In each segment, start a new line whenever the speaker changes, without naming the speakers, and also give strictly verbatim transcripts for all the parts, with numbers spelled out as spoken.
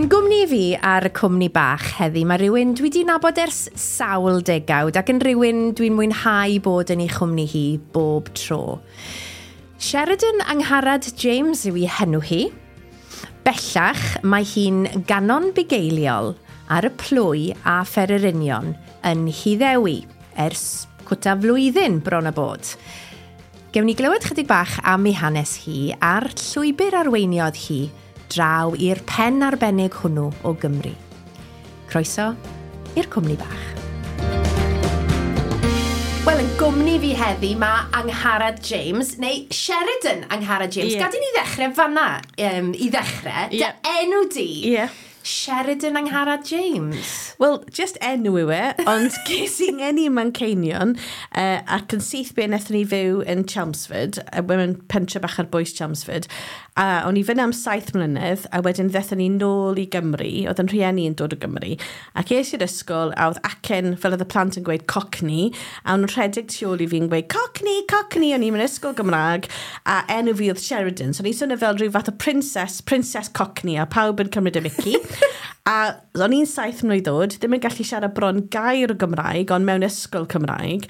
Yn gwmni fi ar y cwmni bach heddi, mae rhywun dwi wedi nabod ers sawl degawd ac yn rhywun dwi'n mwynhau bod yn ei chwmni hi bob tro. Sheridan Angharad James yw ei henw hi. Bellach, mae hi'n ganon bugeiliol ar y plwy a phererinion yn Nhyddewi ers cwta flwyddyn bron a bod. Gewn ni glywed chydig bach am ei hanes hi a'r llwybr arweiniodd hi draw i'r pen arbennig hwnnw o Gymru. Croeso i'r cwmni bach. Wel, yn gwmni fi heddi mae Angharad James, neu Sheridan Angharad James.
Ie.
Gad i ni ddechrau fanna, um, i ddechrau.
Ie.
Dy enw di,
Ie.
Sheridan Angharad James.
Wel, just enw yw e, ond ges i ngeni ym Manceinion, uh, ac yn syth bin wnaethon ni fyw yn Chelmsford, uh, mewn pentre bach ar bwys Chelmsford, a o'n i fyna am saith mlynedd, a wedyn ddethon ni nôl i Gymru, oedd yn rhieni yn dod o Gymru, ac es i'r ysgol, a oedd acen, fel oedd y plant yn gweud, Cockney, a o'n nhw'n rhedeg tu ôl i fi'n gweud, "Cockney, Cockney", o'n i'n mynd ysgol Gymraeg, a enw fi oedd Sheridan, so o'n i'n swnio fel rhyw fath o princess, Princess Cockney, a pawb yn cymryd y mickey. A o'n i'n saith mlwydd oed, ddim yn gallu siarad bron gair o Gymraeg, ond mewn ysgol Cymraeg.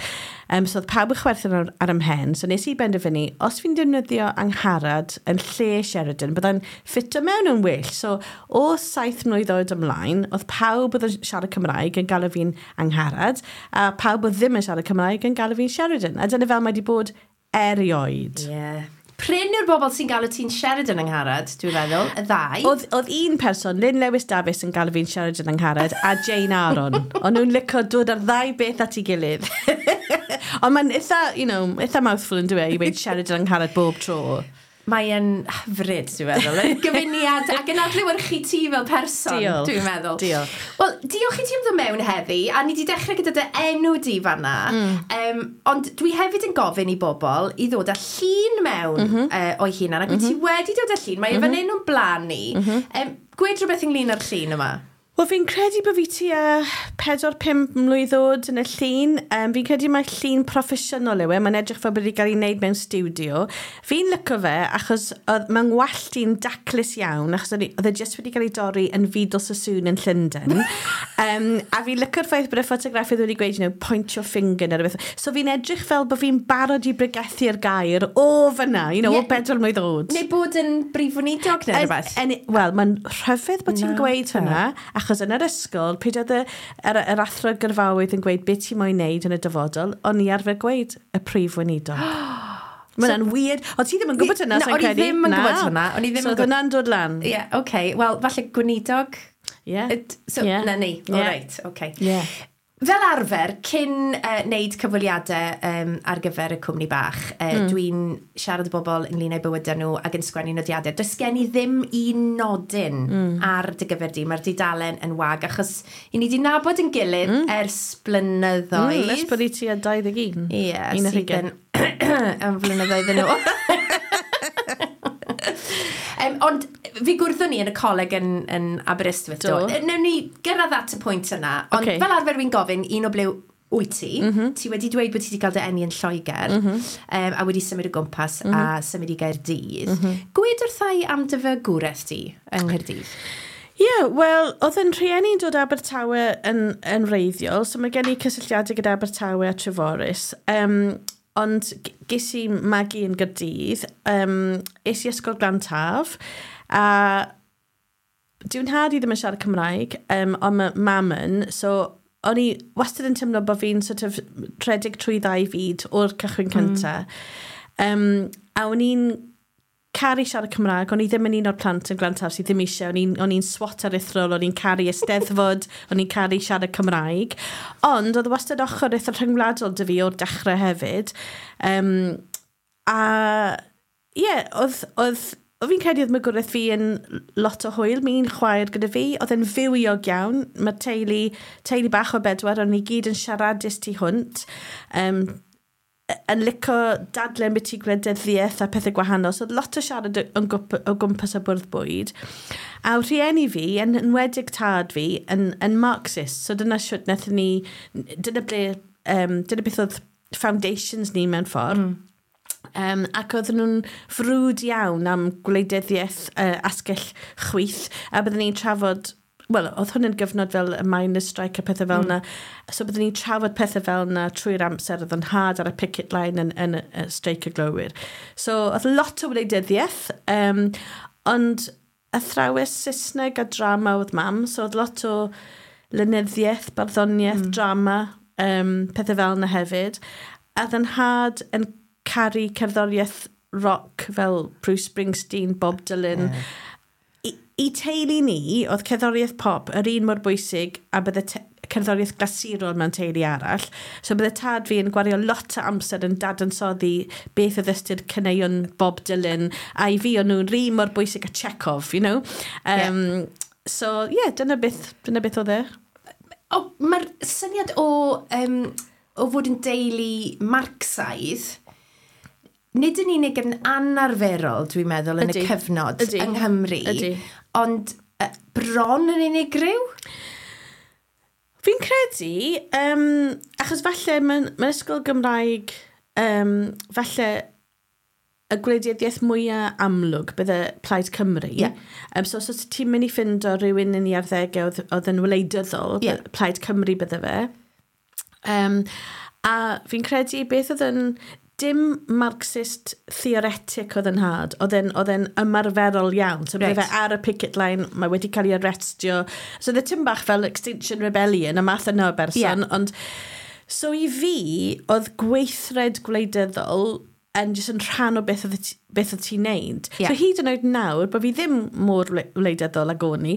Um, so oedd pawb yn chwerthin ar, ar 'y mhen, so nes i benderfynu, os fi'n defnyddio Angharad yn lle Sheridan, byddai'n ffito mewn yn well. So o saith mlwydd oed ymlaen, oedd pawb oedd yn siarad Cymraeg yn galw fi'n Angharad, a pawb oedd ddim yn siarad Cymraeg yn galw fi'n Sheridan. A dyna fel mae wedi bod erioed.
Yeah. Prin yw'r bobl sy'n galw ti'n Sheridan Angharad, dwi'n meddwl, y ddau.
Oedd, oedd un person, Lynn Lewis Davies, yn galw fi'n Sheridan Angharad, a Jane Aaron. O'n nhw'n licio dod ar ddau beth at ei gilydd. Ond mae'n eitha, you know, eitha mouthful yn dweud i weud Sheridan Angharad bob tro.
Mae yn hyfryd, dwi'n meddwl. Yn gyfuniad ac yn adlewyrchu ti fel person,
Diolch.
dwi'n meddwl.
Diolch.
Wel, diolch i ti am ddod mewn heddi, a ni wedi dechrau gyda dy enw di fanna. Mm. Um, ond dwi hefyd yn gofyn i bobl i ddod â llun mewn mm -hmm. uh, o'i hunan, ac mm -hmm. ti wedi dod â llun, mae mm -hmm. fan hyn o'n blaen ni. Mm -hmm. um, gwed rhywbeth ynglyn â'r llun yma.
Wel, fi'n credu bod fi tua pedwar pump mlwydd oed yn y llun. Um, fi'n credu mai llun proffesiynol yw e. Mae'n edrych fel bod wedi cael ei wneud mewn studio. Fi'n licio fe achos oedd mae'n ngwallt i'n daclus iawn, achos oedd oedd e jyst wedi cael ei dorri yn Vidal Sassoon yn Llundain. um, a fi'n licio'r ffaith bod y ffotograffydd wedi gweud, you know, "Point your finger" neu rhywbeth. So fi'n edrych fel bod fi'n barod i bregethu'r gair o fyna, you know,
Ie.
o bedwar mlwydd oed.
Neu bod yn brif weinidog neu rhywbeth.
En, en, Wel, mae'n rhyfedd bod ti'n
Na,
gweud
te.
hwnna, achos yn yr ysgol, pryd oedd y, yr, yr athro gyrfaoedd yn gweud beth ti'n moyn neud yn y dyfodol, o'n i arfer gweud y prif weinidog. Mae hwnna'n weird. Ond ti ddim yn gwybod hwnna,
Na,
sa'n
o'n i
credu?
ddim yn
Na.
gwybod hwnna. O'n i ddim
So
yn
oedd hwnna'n dod lan.
Ie, yeah, okay. Wel, falle gweinidog.
Ie.
It, so,
Ie.
na ni.
Ie.
All right, okay.
Ie.
Fel arfer, cyn uh, wneud cyfweliadau um, ar gyfer y cwmni bach, uh, mm. dwi'n siarad â bobl ynglyn â'u bywydau nhw ac yn sgwennu nodiadau. Does gen i ddim un nodyn mm. ar dy gyfer di. Mae'r dudalen yn wag, achos i ni di nabod yn gilydd mm. ers blynyddoedd.
Mm, ers bod i ti a dau ddeg un.
Ie,
Un ar
sydd
hugain.
yn am flynyddoedd yn ôl. um, ond fi gwrddon ni yn y coleg yn, yn Aberystwyth. Do.
Do.
Newn ni gyrraedd at y pwynt yna, ond
Ocê.
fel arfer fi'n gofyn un o ble wyt ti. Mm -hmm. Ti wedi dweud bod ti wedi cael dy eni yn Lloegr mm -hmm. um, a wedi symud o gwmpas mm -hmm. a symud i Gaerdydd. Mm -hmm. Gwed wrtha i am dy fagwraeth di yng Nghaerdydd.
Ie, yeah, wel, oedd yn rhieni'n dod Abertawe yn, yn wreiddiol, so mae gen i cysylltiadau gyda Abertawe a Treforys. Um, ond g- ges i magu yn Gaerdydd, um, es i ysgol Glan Taf, a dyw'n nhad i ddim yn siarad Cymraeg, um, ond mae mam yn, so o'n i wastad yn teimlo bod fi'n sort of rhedeg trwy ddau fyd o'r cychwyn cyntaf. Mm. Um, a o'n i'n caru siarad Cymraeg, o'n i ddim yn un o'r plant yn Glan Taf sydd ddim eisiau, o'n i'n- o'n i'n swot aruthrol, o'n i'n caru Eisteddfod, o'n i'n caru siarad Cymraeg. Ond oedd wastad ochr eitha rhyngwladol 'da fi o'r dechrau hefyd. Um, a ie, yeah, oedd, oedd, oedd fi'n credu oedd magwraeth fi yn lot o hwyl. Mi'n chwaer gyda fi, oedd e'n fywiog iawn. Mae teulu, teulu bach o bedwar, o'n ni gyd yn siaradus tu hwnt. Um, yn licio dadle ambiti gwleidyddiaeth a pethau gwahanol. So oedd lot o siarad o, gwp- o gwmpas y bwrdd bwyd. A rhieni fi, yn enwedig tad fi, yn, yn Marxist. So dyna siwt wnaethon ni, dyna ble, um, dyna beth oedd foundations ni mewn ffordd. Mm. Um, ac oedden nhw'n frwd iawn am gwleidyddiaeth uh, asgell chwith, a byddwn ni'n trafod, wel, oedd hwn yn gyfnod fel y miners strike a pethau fel mm. yna. So byddwn ni'n trafod pethau fel yna trwy'r amser, oedd yn nhad ar y picket line yn, yn, yn y streic y glowyr. So oedd lot o wleidyddiaeth, um, ond athrawes Saesneg a drama oedd mam, so oedd lot o lenyddiaeth, barddoniaeth, mm. drama, um, pethau fel yna hefyd. A oedd yn nhad yn caru cerddoriaeth rock fel Bruce Springsteen, Bob Dylan. Yeah. I, I teulu ni, oedd cerddoriaeth pop yr un mor bwysig a bydde te cerddoriaeth glasurol mewn teulu arall. So bydde tad fi yn gwario lot o amser yn dadansoddi beth oedd ystyr caneuon Bob Dylan, a i fi o'n nhw'n un mor bwysig a Chekhov, you know? Um, yeah. So, yeah, dyna beth, dyna beth oedd e.
O, mae'r syniad o, um, o fod yn deulu Marcsaidd, nid yn unig yn anarferol, dwi'n meddwl, yn
Ydi.
y cyfnod
Ydi.
yng Nghymru,
Ydi.
ond uh, bron yn unigryw?
Fi'n credu, um, achos falle mewn, mewn ysgol Gymraeg, um, falle y gwleidyddiaeth mwyaf amlwg bydde Plaid Cymru.
Ie.
Um, so os oes ti'n mynd i ffindo rhywun yn ei arddegau oedd, oedd yn wleidyddol,
Ie.
Plaid Cymru bydde fe. Um, a fi'n credu beth oedd yn dim Marxist theoretic oedd yn nhad, oedd e'n oedd e'n ymarferol iawn. So bydde
Reit.
fe ar y picket line, mae wedi cael ei arrestio. So oedd e tim bach fel Extinction Rebellion, y math yna o berson.
Ie.
Ond, so i fi, oedd gweithred gwleidyddol yn jyst yn rhan o beth oedd ti- beth oedd ti'n neud.
Ie.
So hyd yn oed nawr, bod fi ddim mor wle- wleidyddol ag o'n i,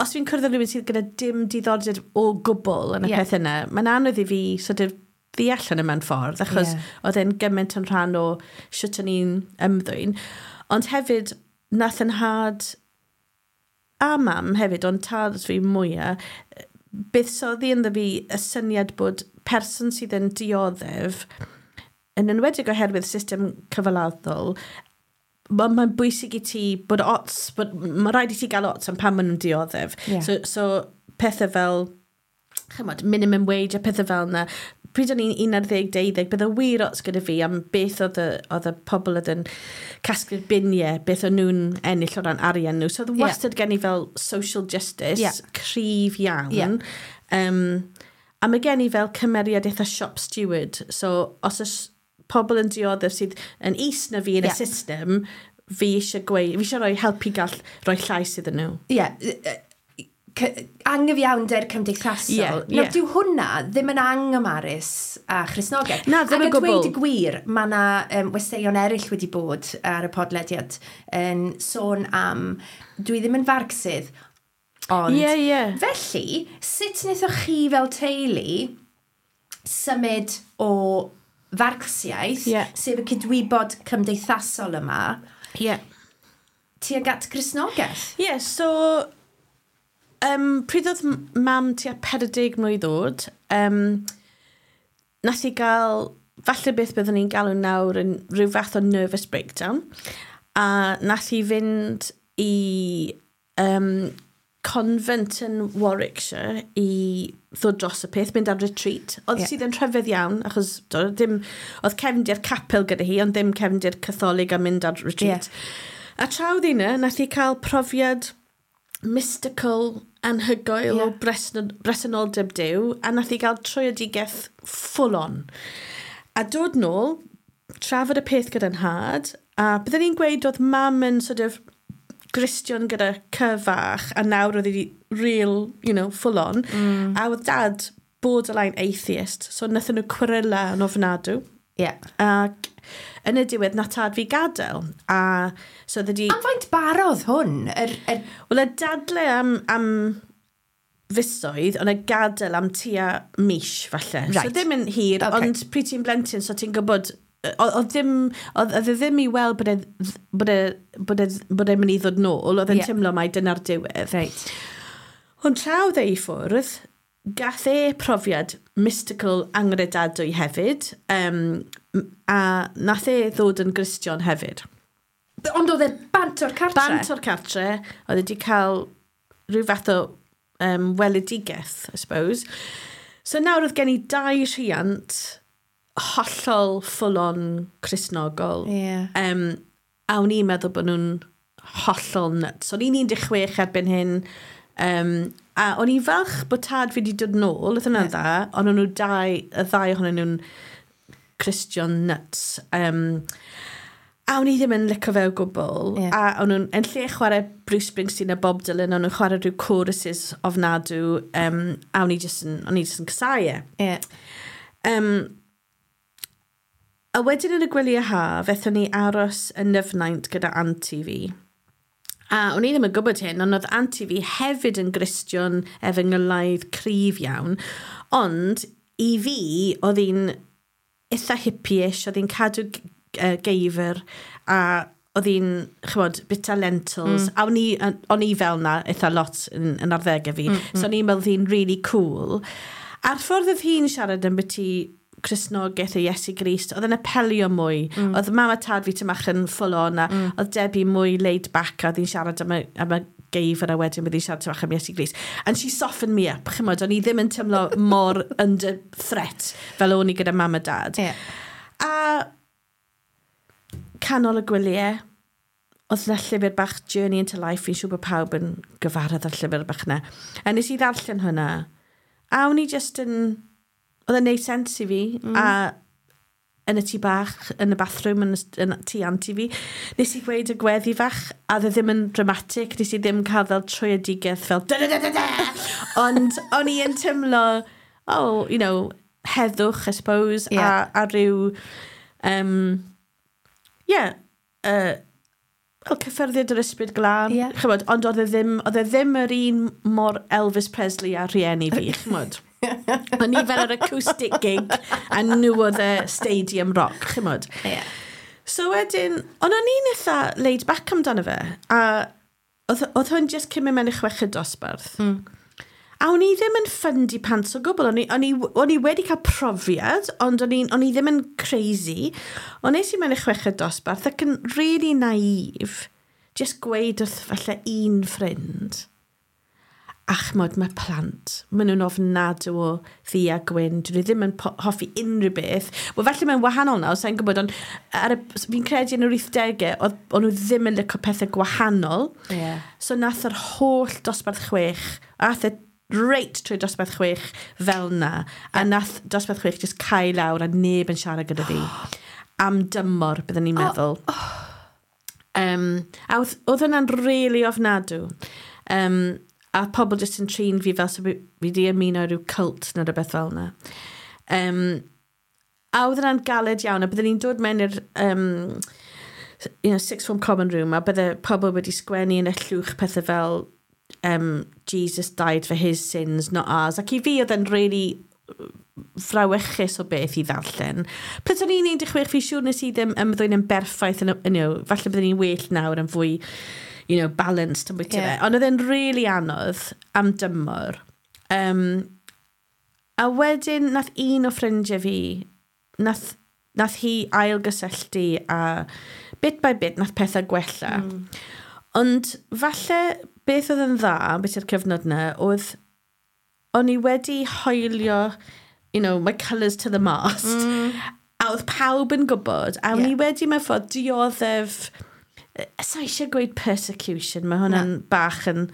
os fi'n cwrdd â rhywun sydd gyda dim diddordeb o gwbl yn y
Ie.
peth yna, mae'n anodd i fi sort of ddeall hynny mewn ffordd, achos
Ie.
oedd e'n gymaint yn rhan o sut o'n i'n ymddwyn. Ond hefyd, nath yn nhad a mam hefyd, ond tad fi mwyaf, buddsoddi ynddo fi y syniad bod person sydd yn dioddef, yn enwedig oherwydd system cyfalafol, mae'n ma bwysig i ti bod ots, bod, mae rhaid i ti gael ots am pan maen nhw'n dioddef.
Ie.
So, so pethau fel, chymod, minimum wage a pethau fel yna, pryd o'n i'n un ar ddeg, deuddeg, bydde wir ots gyda fi am beth oedd y, oedd y pobl oedd yn casglu'r biniau, beth o'n nhw'n ennill o ran arian nhw. So oedd
Ie.
wastad gen i fel social justice
Ie.
cryf iawn.
Ie.
Um, a mae gen i fel cymeriad eitha shop steward. So os oes pobl yn dioddef sydd yn is na fi yn
Ie.
y system, fi eisiau gweud, fi eisiau rhoi helpu gall rhoi llais iddyn nhw.
Ie, yeah, angyfiawnder cymdeithasol.
Ie,
Nawr,
ie.
dyw hwnna ddim yn anghymarus a Christnogaeth.
Na, ddim
Ac
o
a dweud
gwbl.
y gwir, mae yna um, westeion eraill wedi bod ar y podlediad yn sôn am, dwi ddim yn Farcsydd, ond
Ie, ie.
Felly, sut wnaethoch chi fel teulu symud o Farcsiaeth,
Ie.
sef y cydwybod cymdeithasol yma,
Ie.
tuag at Gristnogaeth?
Ie, yeah, so um, pryd oedd m- mam tua pedwar deg mlwydd oed, um, nath i gael, falle beth byddwn ni'n galw nawr yn rhyw fath o nervous breakdown, a nath i fynd i um, convent yn Warwickshire i ddod dros y peth, mynd ar retreat. Oedd
Ie.
yeah. sydd yn rhyfedd iawn, achos do, ddim, oedd cefndir capel gyda hi, ond ddim cefndir Catholig a mynd ar retreat.
Ie.
A tra oedd hi yna, nath hi cael profiad mystical anhygoel
Ie.
o bresno- bresenoldeb Duw, a nath hi gael tröedigaeth full on. A dod nôl, trafod y peth gyda'n nhad, a byddwn ni'n gweud oedd mam yn sort of Gristion gyda cyfach, a nawr oedd hi real, you know, full on. Mm. A oedd dad borderline atheist, so nathon nhw cweryla yn ofnadw.
Ie. Yeah.
Ac yn y diwedd, nath tad fi gadael. A so oedd wedi...
Am faint barodd hwn? Er, er,
Wel, y dadle am, am fisoedd, ond y gadael am tua mis, falle.
Right.
So ddim yn hir,
Okay.
okay. ond pryd ti'n blentyn, so ti'n gwybod oedd oedd ddim, oedd oedd e ddim i weld bod e, bod e, bod e, bod e'n mynd i ddod nôl, oedd e'n
Ie.
yeah. teimlo mai dyna'r diwedd.
Reit.
Ond tra oedd e i ffwrdd, gath e profiad mystical angredadwy hefyd, um, a nath e ddod yn Gristion hefyd.
Ond oedd e bant o'r cartre?
Bant o'r cartre, oedd e wedi cael rhyw fath o um, weledigaeth, I suppose. So nawr oedd gen i dau rhiant hollol full-on Cristnogol.
Yeah.
Um, a o'n i'n meddwl bod nhw'n hollol nuts. O'n i'n un deg chwech erbyn hyn. Um, a o'n i'n falch bod tad fi wedi dod nôl, oedd hwnna'n yeah. dda, ond o'n nhw dau, y ddau ohonyn nhw'n Christian nuts. Um, a o'n i ddim yn licio fe o gwbl.
Ie.
A o'n nhw'n, yn lle chwarae Bruce Springsteen a Bob Dylan, o'n nhw'n chwarae rhyw choruses ofnadw, um, a o'n i jyst yn, o'n i jyst yn casáu e.
Yeah.
Um, a wedyn yn y gwyliau haf, ethon ni aros yn Nyfnaint gyda anti fi. A o'n i ddim yn gwybod hyn, ond oedd anti fi hefyd yn Gristion efengylaidd cryf iawn. Ond i fi, oedd hi'n eitha hippie-ish, oedd hi'n cadw g- uh, geifr, a oedd hi'n, chymod, bita lentils. Mm. A o'n i, o'n i fel na eitha lot yn, yn arddegau fi. Mm, mm. So o'n i'n meddwl oedd hi'n really cool. A'r ffordd oedd hi'n siarad am byti Cristnogaeth a Iesu Grist, oedd yn apelio mwy. Mm. Oedd mam a tad fi tymach yn full on, a mm. oedd Debbie mwy laid back, a oedd hi'n siarad am y, am y geifr, a wedyn bydd hi'n siarad tymach am Iesu Grist. And she softened me up, chymod, o'n i ddim yn teimlo mor under threat fel o'n i gyda mam a dad.
Yeah.
A canol y gwyliau, oedd yna llyfr bach Journey into Life, fi'n siŵr bod pawb yn gyfarwydd â'r llyfr bach yna. A nes i ddarllen hwnna, a o'n i just yn, oedd e'n neud sens i fi, mm. a yn y tŷ bach, yn y bathroom, yn, y, yn y tŷ anti fi, nes i gweud y gweddi fach, a oedd e ddim yn dramatic, nes i ddim cael fel tröedigaeth fel da da da da da. Ond o'n i yn teimlo, oh, you know, heddwch, I suppose,
Yeah.
a, a rhyw, um, yeah, uh, wel, cyffyrddiad yr Ysbryd Glân,
Ie.
chymod, ond oedd e ddim, oedd e ddim yr un mor Elvis Presley a rhieni fi, chymod. O'n i fel yr acoustic gig, a nhw oedd y stadium rock, chymod.
Yeah.
So wedyn, ond o'n i'n eitha laid back amdano fe, a oedd, oedd hwn just cyn mynd mewn i chweched dosbarth. Mm. A o'n i ddim yn ffyndi pants o gwbl. O'n i, o'n i, o'n i wedi cael profiad, ond o'n i, o'n i ddim yn crazy. Ond nes i mewn i chweched dosbarth ac yn really naif, just gweud wrth falle un ffrind. A chymod, mae plant, maen nhw'n ofnadw o ddu a gwyn, dyn nhw ddim yn po- hoffi unrhyw beth. Wel, falle mae'n wahanol nawr, sa'n gwybod, ond ar y, fi'n credu yn yr wythdegau, oedd o'n nhw ddim yn licio pethau gwahanol.
Yeah.
So nath yr holl dosbarth chwech, a ath e reit trwy dosbarth chwech fel na, a nath dosbarth chwech just cau lawr a neb yn siarad gyda fi. Am dymor, byddwn ni'n meddwl. Oh. Um, a oedd, oedd hwnna'n really ofnadw. Um, a pobl jyst yn trin fi fel so fi fi di ymuno rhyw cult neu rhywbeth fel yna. Um, a oedd hwnna'n galed iawn, a byddwn ni'n dod mewn i'r um, you know, sixth form common room, a bydde pobl wedi sgwennu yn y llwch pethau fel um, "Jesus died for his sins, not ours." Ac i fi oedd e'n really frawychus o beth i ddarllen. Pryd o'n i'n un deg chwech, fi siŵr nes i ddim ymddwyn yn berffaith, yn, you know, falle byddwn ni'n well nawr yn fwy, you know, balanced yn bwyty
Ie.
yeah. fe. Ond oedd e'n really anodd am dymor. Um, a wedyn nath un o ffrindiau fi, nath, nath hi ailgysylltu a bit by bit nath pethau gwella. Mm. Ond falle beth oedd yn dda, beth yw'r cyfnod yna, oedd o'n i wedi hoelio, you know, my colours to the mast. Mm. A oedd pawb yn gwybod, a o'n
Ie.
i wedi mewn ffordd dioddef, sa eisiau gweud persecution, mae hwnna'n bach yn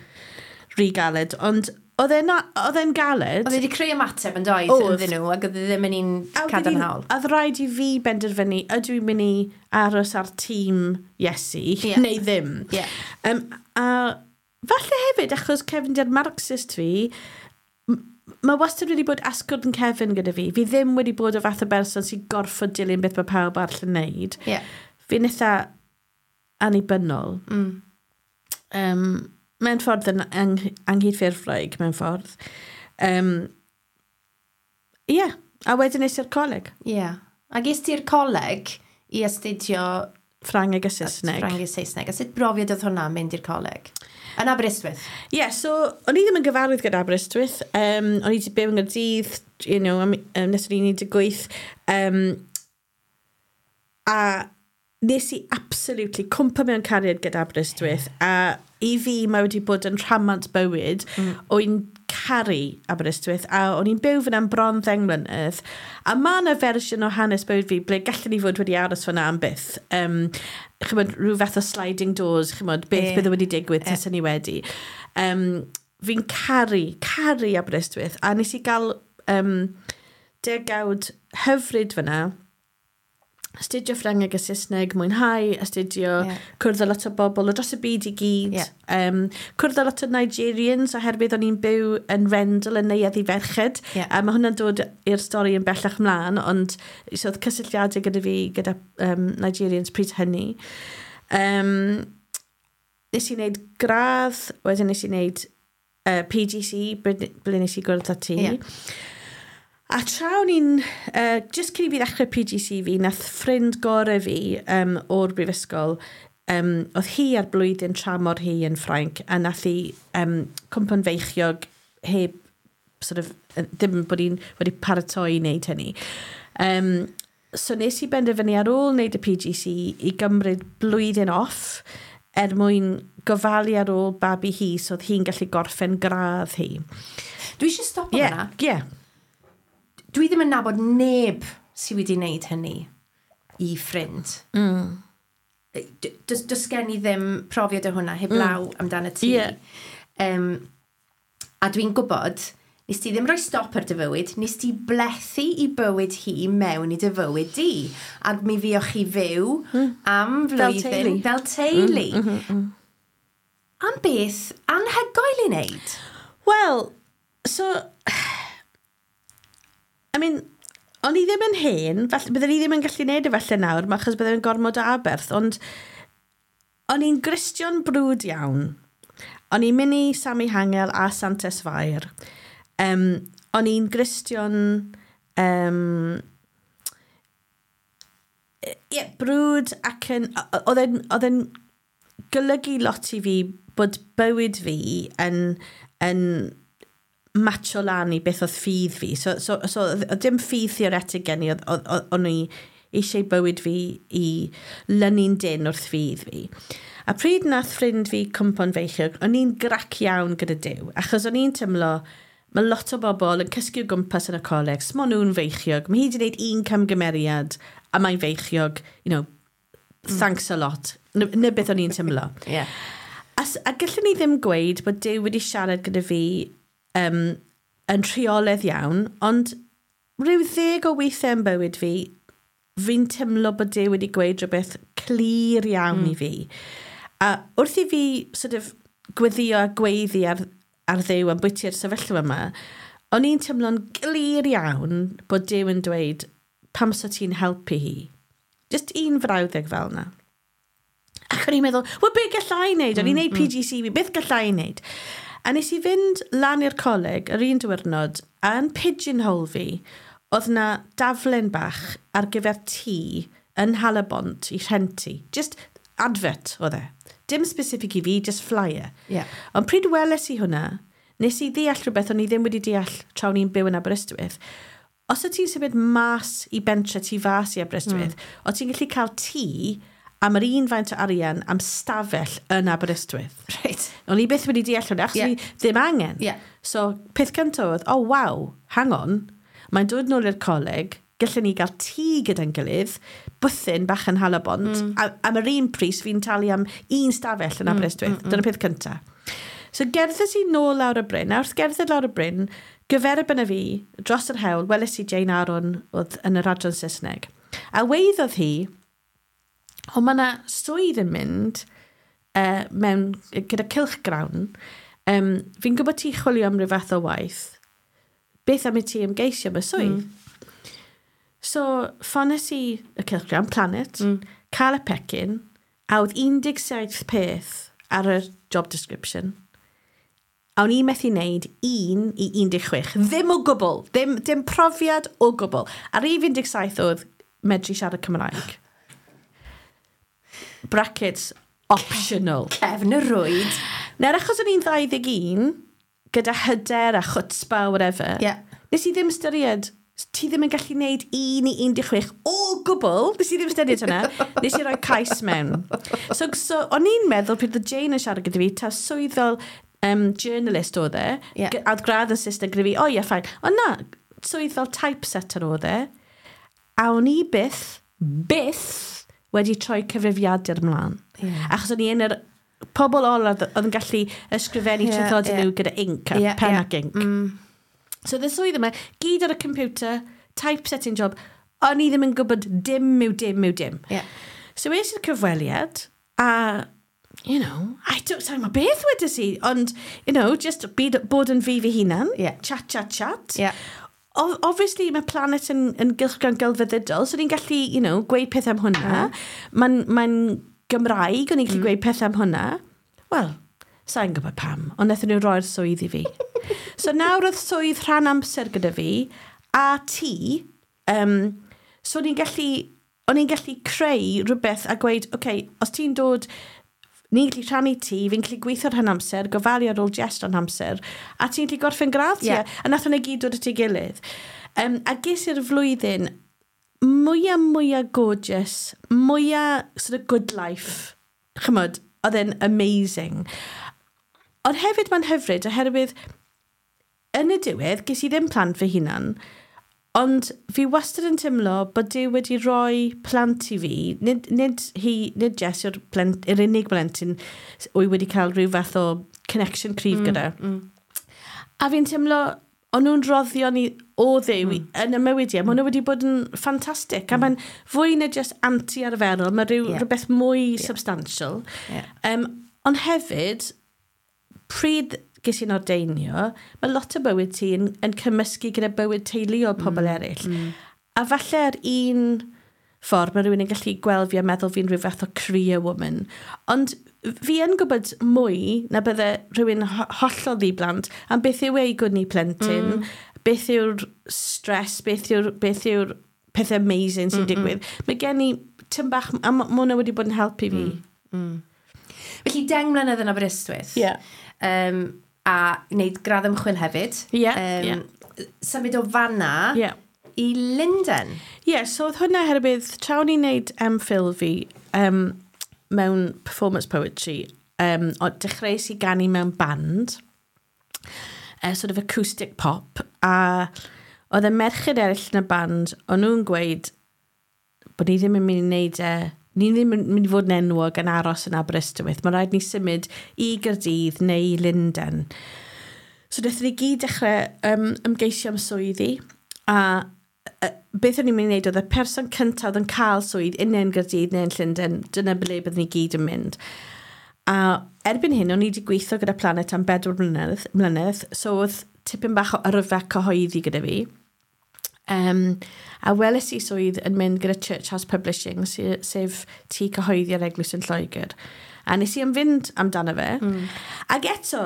rhy galed, ond oedd e'n oedd e'n galed.
Oedd e wedi creu ymateb yn doedd
Oedd.
ynddyn nhw, ac oedd e ddim yn un
A wedyn
cadarnhaol.
Oedd rhaid i fi benderfynu, ydw i'n mynd i aros ar tîm Iesu,
Ie.
neu ddim.
Ie.
Um, a falle hefyd, achos cefndir Marxist fi, m- mae wastad wedi bod asgwrn cefn gyda fi. Fi ddim wedi bod o fath o berson sy'n gorfod dilyn beth mae pawb arall yn neud.
Ie.
Fi'n eitha annibynnol.
Mm.
Um, mewn ffordd yn ang anghydffurfwraig, mewn ffordd. Um, Ie, yeah. A wedyn es i'r coleg.
Ie. A ges ti'r coleg i astudio
Ffrangeg a Saesneg.
Ffrangeg a Saesneg. A sut brofiad oedd hwnna mynd i'r coleg? Yn Aberystwyth?
Ie, yeah, so o'n i ddim yn gyfarwydd gyda Aberystwyth. Um, o'n i wedi byw yng Nghaerdydd, you know, am, um, nes o'n i'n un deg wyth. Um, a nes i absolutely cwmpa mewn cariad gyda Aberystwyth. A i fi mae wedi bod yn rhamant bywyd. Mm. O'n caru Aberystwyth, a o'n i'n byw fyna am bron ddeng mlynedd, a mae yna fersiwn o hanes bywyd fi ble gallwn ni fod wedi aros fyna am byth. Um, chymod, rhyw fath o sliding doors, chymod, beth yeah. bydde wedi digwydd yeah. taswn ni wedi. Um, fi'n caru, caru Aberystwyth, a nes i gael um, degawd hyfryd fyna, astudio Ffrangeg a Saesneg, mwynhau, astudio, yeah. cwrdd â lot o bobl o dros y byd i gyd. Yeah. Um, cwrdd â lot o Nigerians, oherwydd o'n i'n byw yn Rendal yn Neuadd i Ferched. Yeah. A mae hwnna'n dod i'r stori yn bellach mlaen, ond so oedd cysylltiadau gyda fi gyda um, Nigerians pryd hynny. Um, nes i wneud gradd, wedyn nes i wneud uh, P G C, ble ble nes i gwrdd â ti. Yeah. A tra o'n i'n, uh, just cyn i fi ddechrau P G C fi, nath ffrind gorau fi um, o'r brifysgol, um, oedd hi ar blwyddyn tramor hi yn Ffrainc, a nath hi um, cwmpo'n feichiog heb, sort of, yy, ddim bod hi'n wedi paratoi i wneud hynny. Um, so nes i benderfynu ar ôl wneud y P G C i gymryd blwyddyn off er mwyn gofalu ar ôl babi hi so oedd hi'n gallu gorffen gradd hi.
Dwi eisiau stopio
Ie,
fyna.
ie.
Dwi ddim yn nabod neb sydd wedi wneud hynny i ffrind. Mm. Does, does gen i ddim profiad o hwnna, heblaw mm. amdano ti.
Ie.
Um, a dwi'n gwybod, nes ti ddim rhoi stop ar dy fywyd, nes ti blethu i bywyd hi mewn i dy fywyd di. Ac mi fuoch chi fyw mm. am
Fel
flwyddyn.
teulu.
Fel teulu. Mm, mm, mm. Am beth anhygoel i wneud.
Wel, so, I mean, o'n i ddim yn hen, falle, byddwn i ddim yn gallu neud e falle nawr, ma- achos byddwn i'n gormod o aberth, ond o'n i'n Gristion brwd iawn. O'n i'n mynd i Sami Hangel a Santes Fair. Um, o'n i'n Gristion um, ie, brwd ac yn... Oedd e'n oedd e'n golygu lot i fi bod bywyd fi yn, yn matcho lan i beth oedd ffydd fi. So, so, so oedd oedd dim ffydd theoretig gen i, oedd- oedd- oedd- o'n i eisiau bywyd fi i lynu'n dyn wrth ffydd fi. A pryd nath ffrind fi cwmpo'n feichiog, o'n i'n grac iawn gyda Duw, achos o'n i'n teimlo, mae lot o bobl yn cysgu o gwmpas yn y coleg, smo nhw'n feichiog, mae hi wedi gwneud un camgymeriad a mae'n feichiog, you know, thanks a lot. Na, na beth o'n i'n teimlo.
Yeah.
A, s- a gallwn ni ddim gweud bod Duw wedi siarad gyda fi um, yn rheolaidd iawn, ond rhyw ddeg o weithiau yn bywyd fi, fi'n teimlo bod Duw wedi gweud rhywbeth clir iawn mm. i fi. A wrth i fi sort of gweddio a gweiddi ar, ar Dduw am bwyty'r sefyllfa yma, o'n i'n teimlo'n glir iawn bod Duw yn dweud pam so ti'n helpu hi. Just un frawddeg fel yna. Ac o'n i'n meddwl, wel, beth gallai i wneud? O'n i'n wneud P G C fi, beth gallai i wneud? A nes i fynd lan i'r coleg yr un diwrnod, a yn pigeonhole fi, oedd na daflen bach ar gyfer tŷ yn Halabont i rhentu. Just advert oedd e. Dim specific i fi, just flyer.
Yeah.
Ond pryd weles i hwnna, nes i ddeall rhywbeth o'n i ddim wedi deall tra o'n i'n byw yn Aberystwyth. Os o ti'n symud mas i bentre tu fas i Aberystwyth, mm. o ti'n gallu cael tŷ am yr un faint o arian am stafell yn Aberystwyth.
Right.
O'n i byth wedi deall hwnna, achos
Ie.
yeah. ni ddim angen.
Ie.
So, peth cyntaf oedd, oh waw, hang on, mae'n dod nôl i'r coleg, gallwn ni gael tŷ gyda'n gilydd, bwthyn bach yn Halabont, mm. a, am yr un pris fi'n talu am un stafell yn Aberystwyth. Mm, mm, mm. Dyna peth cyntaf. So gerddes i nôl lawr y bryn, a wrth gerdded lawr y bryn, gyferbyn â fi, dros yr hewl, weles i Jane Aaron oedd yn yr adran Saesneg. A weiddodd hi, o mae yna swydd yn mynd uh, mewn, gyda cylchgrawn, um, fi'n gwybod ti chwilio am ryw fath o waith, beth am i ti ymgeisio am y swydd? Mm. So, ffones i y cylchgrawn, Planet, mm. cael y pecyn, a oedd un deg saith peth ar y job description. A o'n i methu wneud un i un deg chwech. Ddim o gwbl. Ddim, dim profiad o gwbl. A rhif un deg saith oedd medru siarad Cymraeg. Brackets, optional.
Cefn y rwyd.
Nawr, achos o'n i'n dau ddeg un, gyda hyder a chutzpah, whatever,
Ie.
nes i ddim ystyried, ti ddim yn gallu gwneud un i un deg chwech o gwbl, nes i ddim ystyried hynna, nes i roi cais mewn. So, so o'n i'n meddwl pryd oedd Jane yn siarad gyda fi, ta swydd fel Um, journalist oedd e.
Ie.
G- A oedd gradd yn Saesneg gyda fi, o ie, fine. Ond na, swydd fel typesetter oedd e. A o'n i byth, byth wedi troi cyfrifiadur ymlaen.
Ie.
Achos o'n i yn yr pobl ola oedd oedd yn gallu ysgrifennu
Ie,
yeah, traethodau
ie.
nhw gyda ink a
Ie,
yeah, pen
ie.
ac ink. Mm. So the swydd yma, gyd ar y computer, typesetting job, o'n i ddim yn gwybod dim yw dim yw dim.
Ie.
So es i'r cyfweliad, a, you know, I don't say ma beth wedes i, ond, you know, just byd, bod yn fi fy hunan,
Ie.
chat, chat, chat.
Ie.
O- Obviously, mae Planet yn, yn gylchgrawn gelfyddydol, so ni'n gallu, you know, gweud pethau am hwnna. Mae'n mae Gymraeg, o'n i'n gallu gweud pethau am hwnna. Wel, sa'n gwybod pam, ond wnaethon nhw roi'r swydd i fi. So nawr oedd swydd rhan amser gyda fi, a ti, um, so o'n i'n gallu, o'n i'n gallu creu rhywbeth a gweud, oce, okay, os ti'n dod, ni'n gallu rhannu ti, fi'n gallu gweithio rhan amser, gofalu ar ôl Jess rhan amser, a ti'n gallu gorffen gradd ti,
Ie.
a nath hwnna gyd dod at ei gilydd. Um, a ges i'r flwyddyn mwyaf, mwyaf gorgeous, mwyaf sort of good life, chymod, oedd e'n amazing. Ond hefyd mae'n hyfryd, oherwydd yn y diwedd, ges i ddim plant fy hunan, ond fi wastad yn teimlo bod Duw wedi rhoi plant i fi, nid, nid hi, nid Jess yw'r plent, yr unig blentyn wy wedi cael rhyw fath o connection cryf mm, gyda. Mm. A fi'n teimlo, o'n nhw'n roddio ni o Dduw mm. yn y mywyd i, a ma' hwnna wedi bod yn ffantastig. Mm. A mae'n fwy na just anti-arferol, mae rhyw,
Ie.
yeah. rhywbeth mwy yeah. substantial.
Ie.
Um, ond hefyd, pryd ges i'n ordeinio, mae lot o bywyd ti yn, yn cymysgu gyda bywyd teuluol pobl mm. eraill. Mm. A falle ar un ffordd mae rhywun yn gallu gweld fi a meddwl fi'n rhyw fath o career woman. Ond fi yn gwybod mwy na bydde rhywun ho- hollol ddi-blant am beth yw ei gwni plentyn, mm. beth yw'r stress, beth yw'r, beth yw'r pethau amazing sy'n mm -mm. digwydd. Mae gen i tym bach, a ma' ma' hwnna wedi bod yn helpu fi.
Mm. Felly, deng mlynedd yn Aberystwyth.
Ie.
Um, a wneud gradd ymchwil hefyd.
Ie,
Um, Symud o fanna
Ie.
i Lundain.
Ie, yeah, so oedd hwnna herwydd, tra o'n i'n neud MPhil fi um, mewn performance poetry, um, o dechreuais i ganu mewn band, uh, sort of acoustic pop, a oedd y merched eraill yn y band, o'n nhw'n gweud bod ni ddim yn mynd i wneud e, ni ddim yn mynd i fod yn enwog yn aros yn Aberystwyth. Mae rhaid ni symud i Gaerdydd neu i Lundain. So wnaethon ni gyd dechrau um, ymgeisio am swyddi, a uh, beth o'n i'n mynd i wneud oedd y person cyntaf oedd yn cael swydd un yn Gaerdydd neu yn Llundain, dyna ble byddwn ni gyd yn mynd. A erbyn hyn, o'n i wedi gweithio gyda Planet am bedwar mlynedd, mlynedd so oedd tipyn bach o yrfa cyhoeddi gyda fi. Um, a weles i swydd yn mynd gyda Church House Publishing, se- sef tŷ cyhoeddi ar Eglwys yn Lloegr. A nes i am fynd amdano fe. Mm. Ac eto,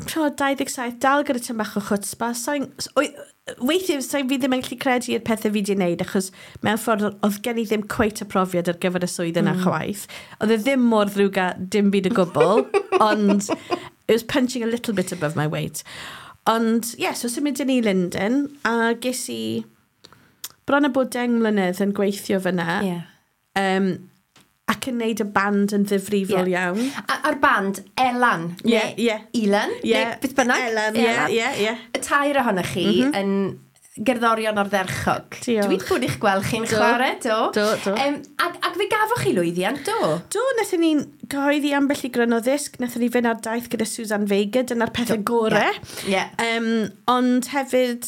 tro dau ddeg saith, dal gyda tym bach o chutzpah. Sa'n, weithiau, sa'n fi ddim yn gallu credu i'r pethau fi wedi wneud, achos mewn ffordd oedd gen i ddim cweit y profiad ar gyfer y swydd yna mm. chwaith. Oedd e ddim mor ddrwg a dim byd o gwbl, ond it was punching a little bit above my weight. Ond, ie, yeah, so symudon ni i Lundain, a ges i bron a bod deng mlynedd yn gweithio fyna,
Ie.
um, ac yn neud y band yn ddifrifol
Ie.
iawn.
A, a'r band, Elan.
Ie,
neu
ie.
Elan,
Ie.
neu beth bynnag.
Elan, ie, ie, ie.
Y tair ohonoch chi mm -hmm. yn gerddorion ardderchog.
Diolch.
Dwi wedi bod i'ch gweld chi'n
Do.
chwarae, do.
Do, do.
Um, ac, ac fe gafoch chi lwyddiant, do?
Do, wnaethon ni'n cyhoeddi ambell i gryno ddisg, wnaethon ni fynd ar daith gyda Suzanne Vega, dyna'r pethau gorau.
Ie.
Um, ond hefyd,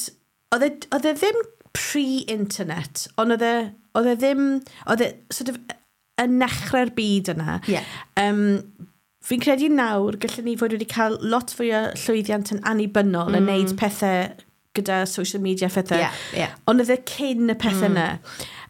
oedd e, oedd e ddim pre-internet, ond oedd e, oedd e ddim, oedd e sort of yn nechrau'r byd yna.
Ie.
Um, fi'n credu nawr, gallwn ni fod wedi cael lot fwy o llwyddiant yn annibynnol mm. yn neud pethau gyda social media phethau.
Ie, ie.
Ond oedd e cyn y pethau yna.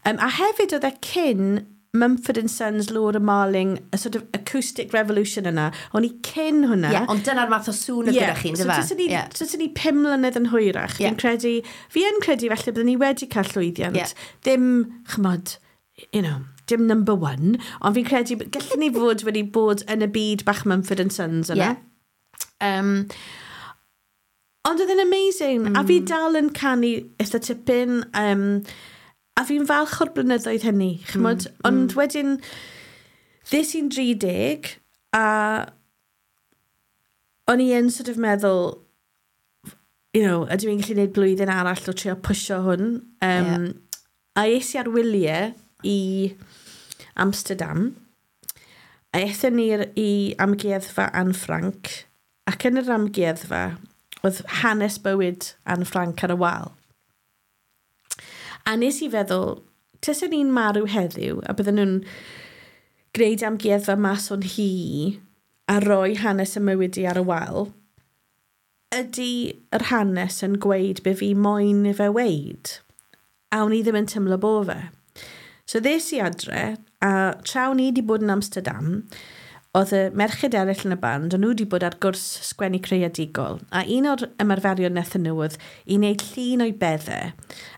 Um, a hefyd oedd e cyn Mumford and Sons, Laura Marling, y sort of acoustic revolution yna. O'n i cyn hwnna.
Ie, ond dyna'r math o sŵn oedd gyda chi,
So
yndyfe?
taswn ni,
Ie.
taswn ni pum mlynedd yn hwyrach.
Ie.
Fi'n credu, fi yn credu felly byddwn ni wedi cael llwyddiant.
Ie.
Ddim, chymod, you know, dim number one, ond fi'n credu gallwn ni fod wedi bod yn y byd bach Mumford and Sons yna.
Ie.
Um, ond oedd e'n amazing. Mm. A fi dal yn canu eitha tipyn. Um, a fi'n falch o'r blynyddoedd hynny, chymod? Mm. Ond wedyn, ddes i'n dri deg, a O'n i yn sort of meddwl, you know, ydw i'n gallu gwneud blwyddyn arall o trio pwsio hwn. Um,
Ie.
A es i ar wyliau i Amsterdam. A aethon ni i amgueddfa Anne Frank. Ac yn yr amgueddfa, oedd hanes bywyd Anne Frank ar y wal. A nes i feddwl, tasen ni'n marw heddiw, a bydden nhw'n gwneud amgueddfa mas o'n hi a roi hanes y mywyd i ar y wal, ydy yr hanes yn gweud be fi moyn i fe weud? A o'n i ddim yn teimlo bo fe. So ddes i adre, a tra o'n i wedi bod yn Amsterdam, oedd y merched eraill yn y band, o'n nhw wedi bod ar gwrs sgwennu creadigol. A un o'r ymarferion wnaethon nhw oedd i wneud llun o'i beddau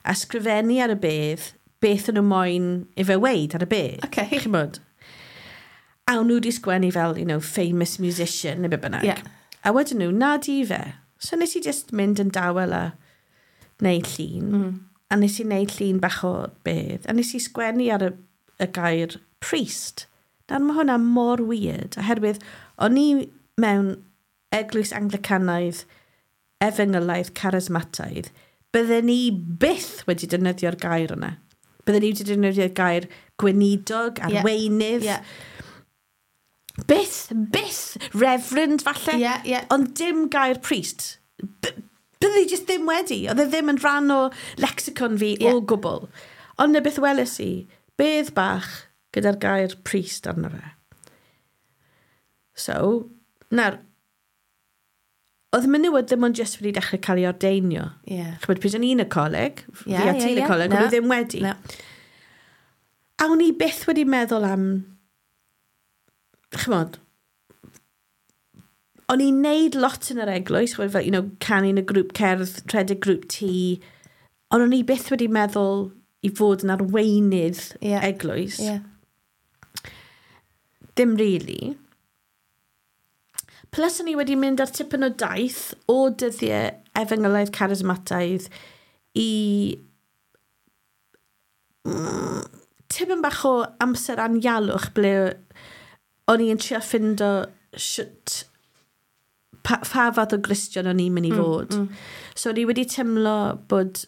a sgrifennu ar y bedd beth o'n nhw moyn i fe weud ar y bedd.
Okay.
Chimod? A o'n nhw wedi sgwennu fel, you know, famous musician neu be bynnag.
Yeah.
A wedyn nhw, na di fe. So nes i just mynd yn dawel a wneud llun. Mm. A nes i wneud llun bach o bedd. A nes i sgwennu ar y, y gair priest. Nawr mae hwnna mor weird, oherwydd o'n i mewn eglwys Anglicanaidd, efengylaidd, charismataidd, bydden ni byth wedi defnyddio'r gair yna. Bydden ni wedi defnyddio'r gair gweinidog,
Ie.
arweinydd,
Ie.
byth, byth, reverend falle.
Ie, ie.
Ond dim gair priest. B bydde i just ddim wedi. Oedd e ddim yn rhan o lexicon fi
Ie.
o gwbl. Ond na beth weles i, bedd bach gyda'r gair priest arno fe. So, nawr, oedd menywod ddim ond just wedi dechrau cael ei ordeinio.
Ie.
Chymod, pryd o'n i'n y coleg,
Ie,
fi a
ie,
ti'n y
ie.
coleg,
Na.
o'n nhw ddim wedi.
Na.
A o'n i byth wedi meddwl am, chymod, o'n i'n neud lot yn yr eglwys, chymod, fel, you know, canu yn y grŵp cerdd, rhedeg grŵp tŷ, ond o'n i byth wedi meddwl i fod yn arweinydd
Ie.
eglwys.
Ie.
Dim really. Plus o'n i wedi mynd ar tipyn o daith o dyddiau efengylaidd charismataidd i mm, tipyn bach o amser anialwch ble o'n i'n trio ffindo shwt pa, pa fath o Gristion o'n i'n mynd i fod. Mm, mm. So o'n i wedi teimlo bod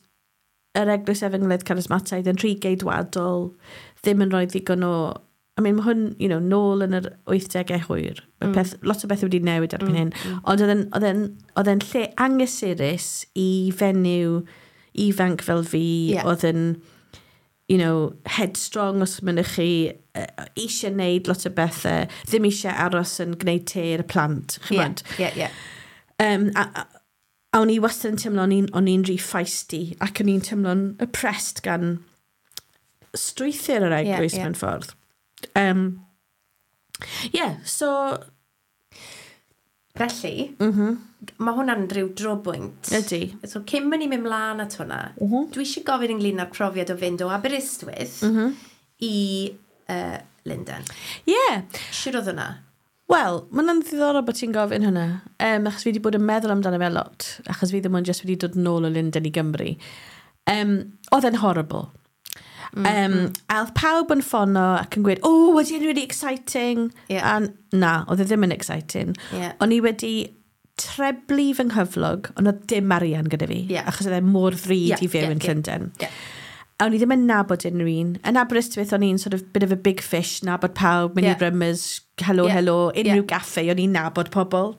yr eglwys efengylaidd charismataidd yn rhy geidwadol, ddim yn rhoi ddigon o. I mean, mae hwn, you know, nôl yn yr wythdegau hwyr. Mae mm. peth, lot o bethau wedi newid erbyn mm. hyn. Mm. Ond oedd e'n- oedd e'n oedd e'n lle anghysurus i fenyw ifanc fel fi,
Ie.
oedd yn, you know, headstrong os mynnwch chi, uh, eisiau neud lot o bethau, ddim eisiau aros yn gwneud te i'r plant,
Ie.
chymod.
Ie, ie.
Um, a, a, a o'n i wastad yn teimlo o'n i'n- o'n i'n rhy feisty ac o'n i'n teimlo'n oppressed gan strwythur yr eglwys
ie.
mewn ffordd. Um, yeah, so.
Felly,
Mm -hmm,
mae hwnna'n rhyw drobwynt.
Ydy.
So, cyn mynd i mynd mlaen at hwnna, mm -hmm. dwi eisiau gofyn ynglyn â'r profiad o fynd o Aberystwyth mm -hmm. i uh, Lundain.
Yeah.
Shwt oedd hwnna?
Wel, mae'n ddiddorol bod ti'n gofyn hwnna. Um, achos fi wedi bod yn meddwl amdano fe lot, achos fi ddim ond jyst wedi dod nôl o Lundain i Gymru. Um, oedd e'n horrible. Mm, um, mm. A oedd pawb yn ffono ac yn gweud, "Oh, was it really exciting?"
Ie.
A na, oedd e ddim yn exciting.
Ie.
O'n i wedi treblu fy nghyflog, ond oedd dim arian gyda fi,
Ie.
achos oedd e mor ddrud
Ie,
i fyw
ie,
yn
ie.
Llundain.
Ie.
A o'n i ddim yn nabod unrhyw un. Yn Aberystwyth, o'n i'n sort of bit of a big fish, nabod pawb, mynd
Ie.
i Rummers, hello,
Ie.
hello, unrhyw
Ie.
gaffe, o'n i'n nabod pobl.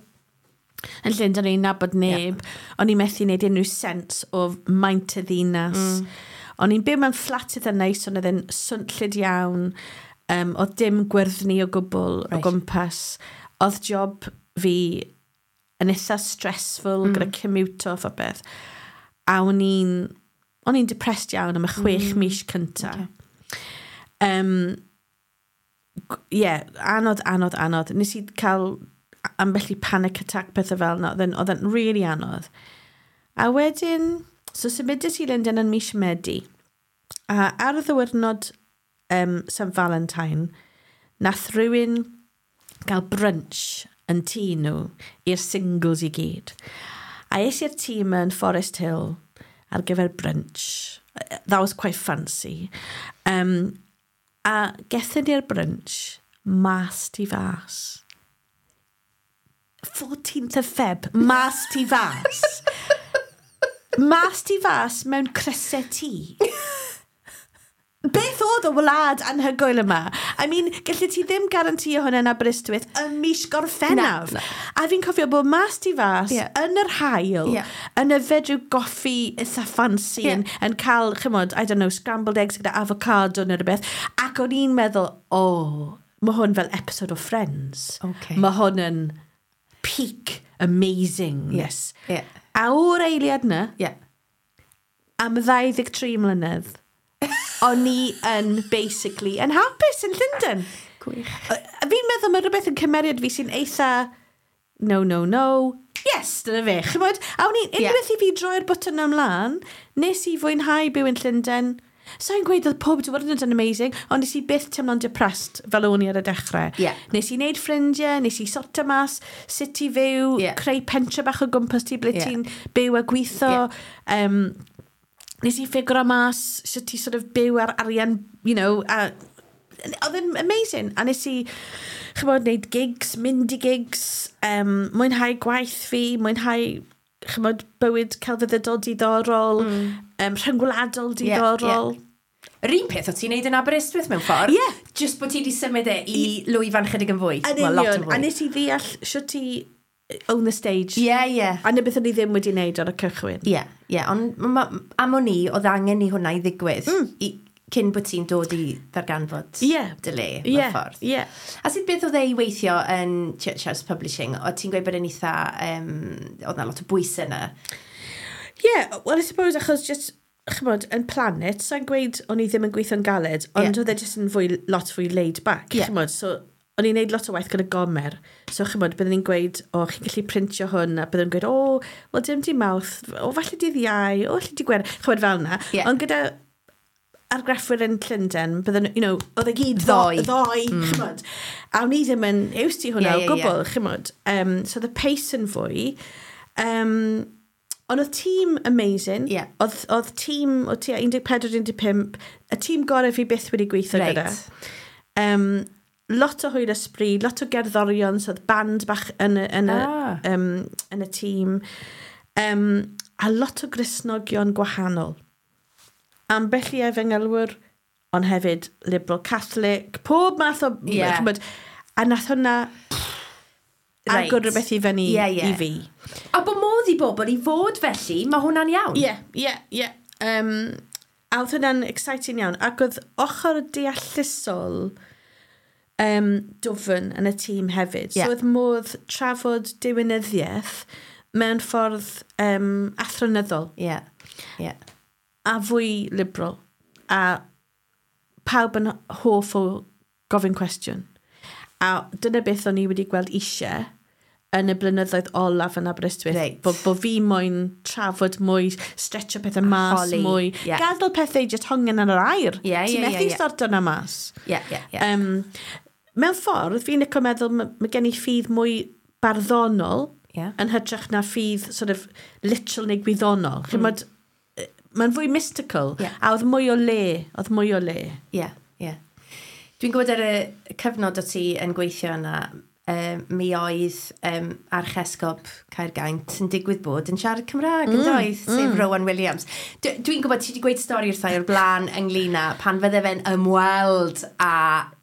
Yn Llundain, o'n i'n nabod neb. O'n i'n methu wneud unrhyw sens o maint y ddinas. Mm. O'n i'n byw mewn fflat eitha neis, ond oedd e'n swnllyd iawn. Um, oedd dim gwyrddni o gwbl
Right.
o gwmpas. Oedd job fi yn eitha stressful mm. gyda commute off a beth. A o'n i'n o'n i'n depressed iawn am y chwech mm. mis cynta. Okay. Um, yeah, anodd, anodd, anodd. Nes i cael ambell i panic attack pethau fel yna. Oedd e'n- oedd e'n really anodd. A wedyn, so symudes i Lundain yn mis Medi. A ar y ddiwrnod um, St Valentine, nath rhywun gael brunch yn tŷ nhw i'r singles i gyd. A es i'r tŷ yma yn Forest Hill ar gyfer brunch. That was quite fancy. Um, a gethon ni'r brunch mas tu fas. fourteenth of Feb, mas ti fas. Mas ti fas mewn crysau T. Beth oedd y wlad anhygoel yma? I mean, gallu ti ddim garantio hwnna yn Aberystwyth ym mis Gorffennaf.
Na, na.
A fi'n cofio bod mas tu fas
Ie.
yn yr haul,
Ie.
yn yfed rhyw goffi eitha fancy,
Ie.
yn, yn cael, chymod, I don't know, scrambled eggs gyda avocado neu rhywbeth. Ac o'n i'n meddwl, oh, mae hwn fel episode o Friends.
Okay.
Mae hwn yn peak amazingness.
Ie.
A o'r eiliad yna,
Ie.
am ddau ddeg tri mlynedd, o'n i yn basically yn hapus yn Llundain.
Gwych.
A fi'n meddwl mae rhywbeth yn cymeriad fi sy'n eitha no, no, no, yes, dyna fe. Chymod, a o'n i,
Ie.
unwaith i fi droi'r bwtyn ymlaen, nes i fwynhau byw yn Llundain. Sa'n gweud oedd pob diwrnod yn amazing, ond nes i byth teimlo'n depressed fel o'n i ar y dechrau.
Ie.
Nes i wneud ffrindiau, nes i sorto mas sut i fyw,
Ie.
creu pentre bach o gwmpas ti ble
Ie.
ti'n byw a gweithio. Um, nes i ffigro mas sut i sort of byw ar arian, you know, a oedd yn amazing. A nes i, chymod, wneud gigs, mynd i gigs, um, mwynhau gwaith fi, mwynhau, chymod, bywyd celfyddydol diddorol, mm. um, rhyngwladol
Ie,
diddorol.
Yr un peth o ti'n neud yn Aberystwyth mewn ffordd.
Ie.
Just bod ti wedi symud e i lwyfan chydig yn fwy.
Yn
Wel, lot
union.
yn fwy.
A nes i ddeall sut i own the stage.
Ie, ie.
A na beth o'n i ddim wedi wneud ar y cychwyn.
Ie, ie. Ond ma- am o'n i, oedd angen i hwnna i ddigwydd. Mm. I, cyn bod ti'n dod i ddarganfod
Ie.
dy le, mewn
Ie,
ffordd.
ie.
A sut beth oedd e i weithio yn Church House Publishing? O ti'n gweud bod yn eitha... Um, oedd na lot o bwysau yna.
Yeah, well, I suppose achos just, chymod, yn Planet, sa'n gweud o'n i ddim yn gweithio'n galed, ond
Ie.
oedd e just yn fwy, lot fwy laid back,
Ie.
chymod, so o'n i'n neud lot o waith gyda Gomer, so chymod, byddwn ni'n gweud, o, chi'n gallu printio hwn, a byddwn ni'n gweud, o, wel, dim dydd Mawrth, o, falle dydd Iau, o, falle dydd Gwener, chymod, fel yna.
Ie.
Ond gyda argraffwyr yn Llundain, bydden nhw, you know, oedd e gyd
Ddoe.
ddoe, ddoe mm. chymod. A o'n i ddim yn used i hwnna
Ie,
o
ie,
gwbl, chymod. Um, so the pace yn fwy. Um, ond oedd tîm amazing.
Ie.
Oedd, oedd tîm o tua un deg pedwar, un deg pump, y tîm gorau fi byth wedi gweithio
Reit.
gyda. Um, lot o hwyl ysbryd, lot o gerddorion, so oedd band bach yn y, yn y,
Ah.
um, yn y tîm. Um, a lot o Gristnogion gwahanol. Ambell i efengylwyr, ond hefyd liberal Catholic, pob math o...
Ie.
Ch'mod, a nath hwnna
Reit.
agor rhywbeth i fyny
Ie, ie.
i fi.
A bod modd i bobl i fod felly, mae hwnna'n iawn.
Ie, ie, ie. Um, a oedd hwnna'n exciting iawn. Ac oedd ochr deallusol um, dwfn yn y tîm hefyd.
Ie.
So oedd modd trafod diwinyddiaeth mewn ffordd um, athronyddol
Ie, ie.
a fwy liberal. A pawb yn hoff o gofyn cwestiwn. A dyna beth o'n i wedi gweld eisiau yn y blynyddoedd olaf yn Aberystwyth.
Reit.
Bo, bo fi moyn trafod mwy, stretcho pethau mas
Holi,
mwy.
ie.
Gadael pethau just hongen yn yr aer.
Ie,
Ti'n
ie, ie,
methu
ie.
sorto na mas.
Ie, ie, ie.
Um, mewn ffordd, fi'n licio meddwl, ma- mae gen i ffydd mwy barddonol
Ie.
yn hytrach na ffydd sort of literal neu gwyddonol. Mm. Chymod, mae'n fwy mystical.
Ie.
A oedd mwy o le, oedd mwy o le.
Ie, ie. Dwi'n gwybod ar y cyfnod o ti yn gweithio yna, um, mi oedd um, Archesgob Caergaint yn digwydd bod yn siarad Cymraeg, mm, yn doedd, sef mm. Rowan Williams. D Dwi'n gwybod ti wedi gweud stori wrtha i o'r blaen ynglyn â pan fydde fe'n ymweld â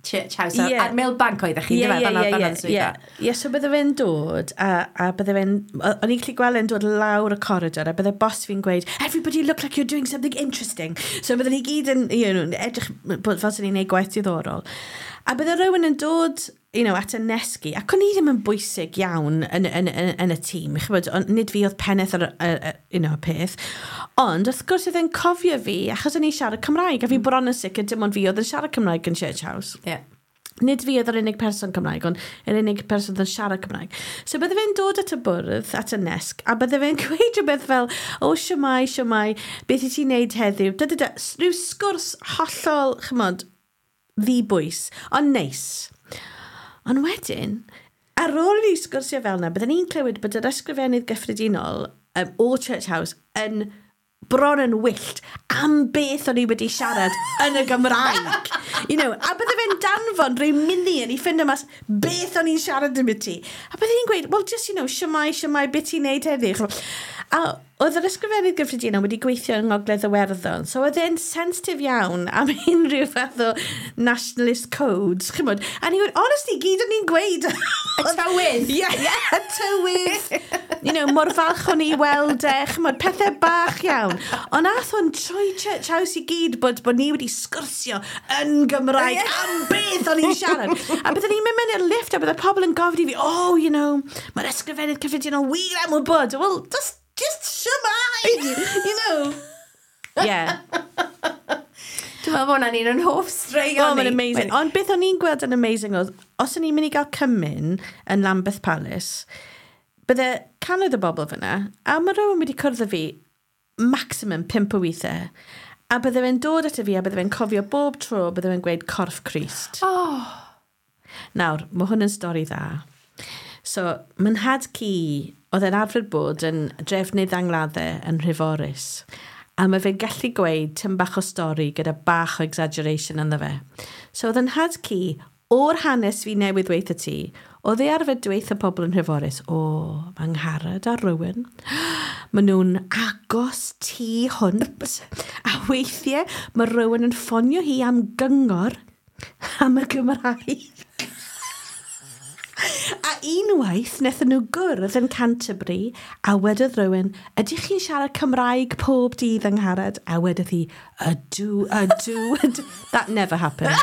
Church House
Ie.
yeah. ar Millbank oeddech chi,
Ie,
yeah,
ie,
ie,
ie,
ie,
ie. Ie, so bydde fe'n dod, a, a bydde fe'n, o'n i'n gallu gweld e'n dod lawr y corridor, a bydde boss fi'n gweud, "Everybody look like you're doing something interesting." So bydde ni gyd yn, you know, edrych bod fel sy'n ni'n neud gwaith diddorol. A bydde rhywun yn dod, you know, at y nesg i, ac o'n i ddim yn bwysig iawn yn, yn, yn, yn y tîm, chybod, ond nid fi oedd pennaeth ar y, y, y, you know, y peth. Ond wrth gwrs oedd e'n cofio fi, achos o'n i'n siarad Cymraeg, a fi bron yn sicr dim ond fi oedd yn siarad Cymraeg yn Church House.
Ie.
Nid fi oedd yr unig person Cymraeg, ond yr unig person oedd yn siarad Cymraeg. So bydde fe'n dod at y bwrdd, at y nesg, a bydde fe'n gweud rhywbeth fel, "O, siwmai, siwmai, beth i ti'n neud heddiw?" Da, da, da. Rhyw sgwrs hollol, chymod, ddibwys, ond neis. Ond wedyn, ar ôl i ni sgwrsio fel yna, bydden ni'n clywed bod yr ysgrifennydd gyffredinol um, o Church House yn bron yn wyllt am beth o'n i wedi siarad yn y Gymraeg. You know, a bydde fe'n danfon rhyw million i ffindo mas beth o'n i'n siarad am ti. A bydde hi'n gweud, well, just, you know, shwmae, shwmae, beth ti'n neud heddi? A oedd yr ysgrifennydd gyffredinol wedi gweithio yng Ngogledd Iwerddon, so oedd e'n sensitif iawn am unrhyw fath o nationalist codes, chymod. A ni'n gweud, honestly, gyd o'n i'n gweud.
Y tywydd.
Ie, yeah, y tywydd. You know, mor falch o'n i weld e, chymod, pethau bach iawn. Ond nath hwn trwy Church House i gyd bod, bod ni wedi sgwrsio yn Gymraeg am beth o'n i'n siarad. A byddwn ni'n mynd mewn i'r lift a bydde pobl yn gofyn i fi, oh, you know, mae'r ysgrifennydd cyffredinol wir am wybod. Well, just, just shwmae, you know. Yeah.
Dwi'n meddwl bod hwnna'n un o'n hoff straeon
Oh, mae'n amazing. Ond beth o'n i'n gweld yn amazing oedd, os o'n i'n mynd i gael cymun yn Lambeth Palace, bydde cannoedd o bobl fyna, a mae rhywun wedi cwrdd â fi maximum pump o weithiau, a bydde fe'n dod at fi a bydde fe'n cofio bob tro, bydde fe'n gweud corff Crist.
Oh.
Nawr, mae hwn yn stori dda. So, my nhad-cu, oedd e'n arfer bod yn drefnydd angladdau yn Nhreforys. A mae fe'n gallu gweud tym bach o stori gyda bach o exaggeration ynddo fe. So, oedd yn nhad-cu, o'r hanes fi newydd weithio ti, oedd e arfer dweud pobl yn Nhreforys, o, mae Angharad a rhywun, maen nhw'n agos tu hwnt, a weithiau mae rhywun yn ffonio hi am gyngor am y Gymraeg. A unwaith, wnaethon nhw gwrdd yn Canterbury, a wedodd rhywun, ydych chi'n siarad Cymraeg pob dydd Angharad? A wedodd hi, ydw, ydw, ydw. That never happened.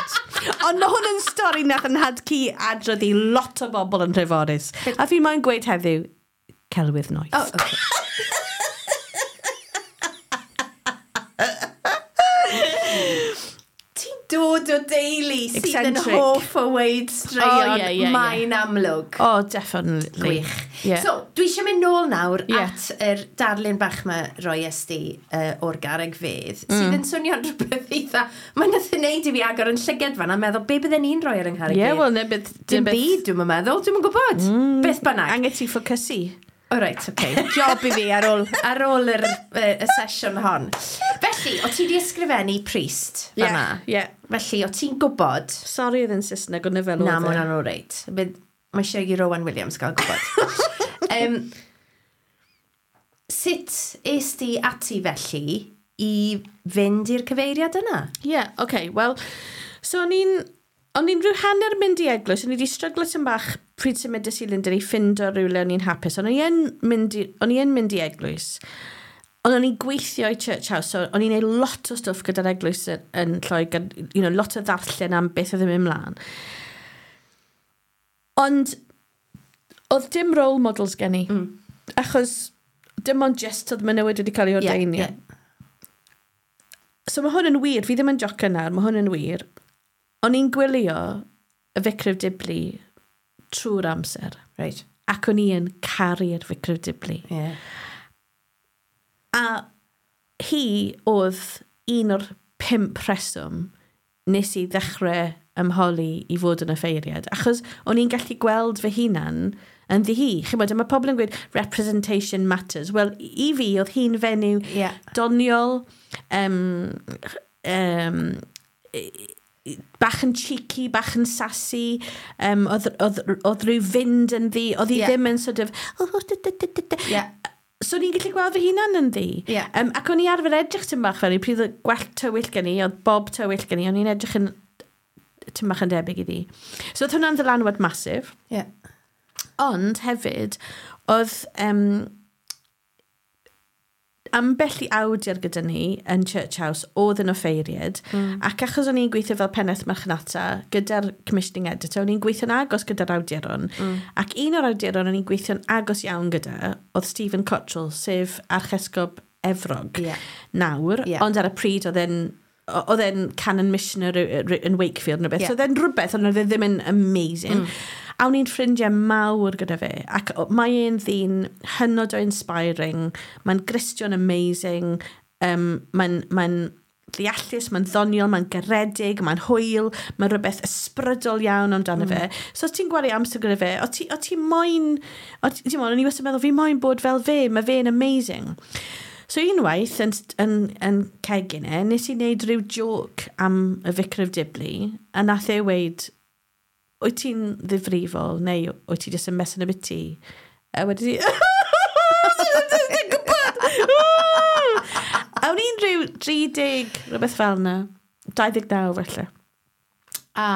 Ond mae hwn yn stori nath yn nhad-cu adrodd i lot o bobl yn Nhreforys. A fi moyn gweud heddiw, celwydd noeth.
Oh, okay. Ti'n dod o deulu sydd yn
Eccentric.
hoff o weud straeon,
Oh, yeah, yeah,
mae'n amlwg.
Oh, definitely.
Gwych.
Yeah.
So, dwi eisiau mynd nôl nawr
Yeah.
at yr darlun bach ma roies di uh, o'r garreg fedd, mm. sydd yn swnio'n rhywbeth eitha... Mae'n nath i wneud i fi agor yn llyged fan a meddwl, be bydden ni'n rhoi ar yng ngharreg
Yeah,
fedd?
well, ne beth...
Dim byd, dwi'n meddwl, dwi'n gwybod. Mm. Beth bynnag.
Angen ti ffocysu.
O reit, oce. Okay. Job i fi ar ôl, ar ôl yr, y, y sesiwn hon. Felly, o ti di ysgrifennu priest fan'na?
Yeah, yeah.
Felly, o ti'n gwybod...
Sorry oedd yn Saesneg, ond fel oedd
Na,
e.
mae hwnna'n o reit. Bydd- Mae eisiau i Rowan Williams gael gwybod. um, sut es di ati felly i fynd i'r cyfeiriad yna?
Yeah, okay, well, so o'n i'n o'n i'n rhyw hanner mynd i eglwys, o'n i wedi stryglo tym bach pryd symudais i Lundain i ffindo rhywle o'n i'n hapus, ond o'n i yn mynd i, o'n i yn mynd i eglwys. Ond o'n i'n gweithio i Church House, so o'n i'n neud lot o stwff gyda'r eglwys yn, yn Lloegr, you know, lot o ddarllen am beth oedd yn mynd mlaen. Ond oedd dim role models gen i. Mm. Achos dim ond just oedd menywod wedi cael ei ordeinio.
Ie, ie.
So mae hwn yn wir, fi ddim yn jocio nawr, mae hwn yn wir. O'n i'n gwylio y Vicar of Dibley trwy'r amser.
Right.
Ac o'n i yn caru'r Vicar of Dibley.
Yeah.
A hi oedd un o'r pump rheswm nes i ddechrau ymholi i fod yn offeiriad. Achos o'n i'n gallu gweld fy hunan yn ddi hi. Chymod, a mae pobl yn gweud representation matters. Wel, i fi, oedd hi'n fenyw
Yeah.
doniol, um, um, bach yn cheeky, bach yn sassy, um, oedd, oedd, oedd rhyw fynd yn ddi, oedd hi
Yeah.
ddim yn sort of, oh, da, da, da, da, da.
Yeah.
So o'n i'n gallu gweld fy hunan yn ddi.
Yeah.
Um, ac o'n i arfer edrych tym bach fel i, pryd oedd gwallt tywyll gen i, oedd bob tywyll gen i, o'n i'n edrych yn tym bach yn debyg iddi. So oedd hwnna'n ddylanwad massive.
Yeah.
Ond hefyd, oedd um, ambell i awdur gyda ni yn Church House oedd yn offeiriad, mm. ac achos o'n i'n gweithio fel pennaeth marchnata gyda'r commissioning editor, o'n i'n gweithio'n agos gyda'r awduron, mm. ac un o'r awduron o'n i'n gweithio'n agos iawn gyda oedd Stephen Cottrell, sef Archesgob Efrog
Yeah.
nawr,
Yeah.
ond ar y pryd oedd e'n oedd e'n canon missioner yn Wakefield neu beth.
Yeah.
So oedd e'n rhywbeth, ond oedd e ddim yn amazing. Mm. A o'n i'n ffrindiau mawr gyda fe. Ac o- mae e'n ddyn hynod o inspiring. Mae'n Gristion amazing. Um, mae'n mae ddeallus, mae'n ddoniol, mae'n garedig, mae'n hwyl, mae'n rhywbeth ysbrydol iawn amdano mm. fe. So os ti'n gwario amser gyda fe, o ti, o ti moyn, o ti, ti'n moyn, o'n i wastad yn meddwl, fi moyn bod fel fe, mae fe'n amazing. So unwaith yn, yn, yn cegin e, nes i wneud rhyw joke am y Vicar of Dibley, a nath e weud, "Wyt ti'n ddifrifol, neu wyt ti jyst yn messing about?" A wedi i, gwybod! A o'n i'n rhyw tri deg, rhywbeth fel yna, dau ddeg naw felly. A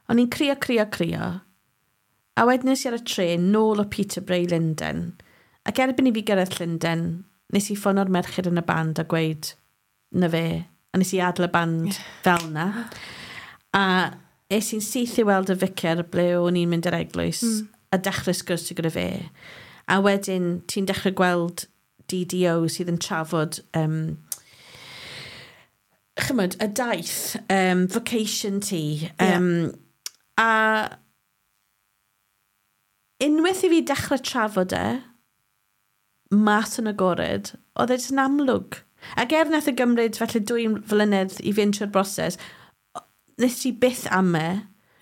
o'n i'n crio, crio, crio. A wedyn nes i ar y tren nôl o Peterborough i Lundain. Ac erbyn i fi gyrraedd Llundain, nes i ffono'r merched yn y band a gweud, "Na fe." A nes i adael y band fel na. A es i'n syth i weld y vicar ble o'n i'n mynd i'r eglwys mm. a dechrau sgwrs gyda fe. A wedyn ti'n dechrau gweld D D O sydd yn trafod um, chymod, y daith, um, vocation ti. Um, yeah. A unwaith i fi dechrau trafod e, mas yn agored, oedd e jyst yn amlwg. Ac er nath e gymryd felly dwy flynedd i fynd trwy'r broses, nes i byth am e.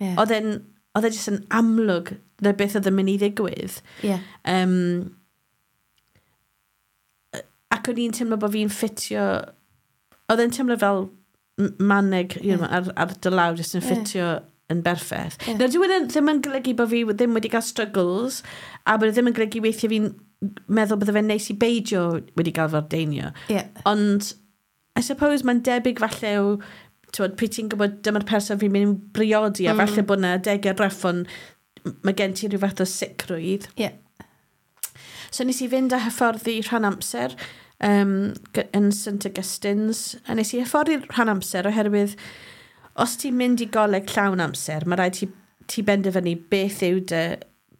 Yeah. Oedd e'n oedd e jyst yn amlwg na beth oedd yn mynd i ddigwydd.
Yeah.
Um, ac o'n i'n teimlo bod fi'n ffitio. Oedd e'n teimlo fel maneg you know, ar, ar dy law jyst yn ffitio yeah. yn berffaith. Yeah. Nawr, dyw e ddim yn golygu bod fi ddim wedi cael struggles, a bod e ddim yn golygu weithiau fi'n meddwl bydde fe'n neis i beidio wedi cael fy ordeinio.
Yeah.
Ond, I suppose mae'n debyg falle o, tywod, pryd ti'n gwybod dyma'r person fi'n mynd i briodi, a mm. falle bod yna adegau rough, ond mae gen ti rhyw fath o sicrwydd.
Yeah.
So nes i fynd a hyfforddi rhan amser um, yn Saint Augustine's, a nes i hyfforddi rhan amser oherwydd os ti'n mynd i goleg llawn amser, mae rhaid ti, ti benderfynu beth yw dy,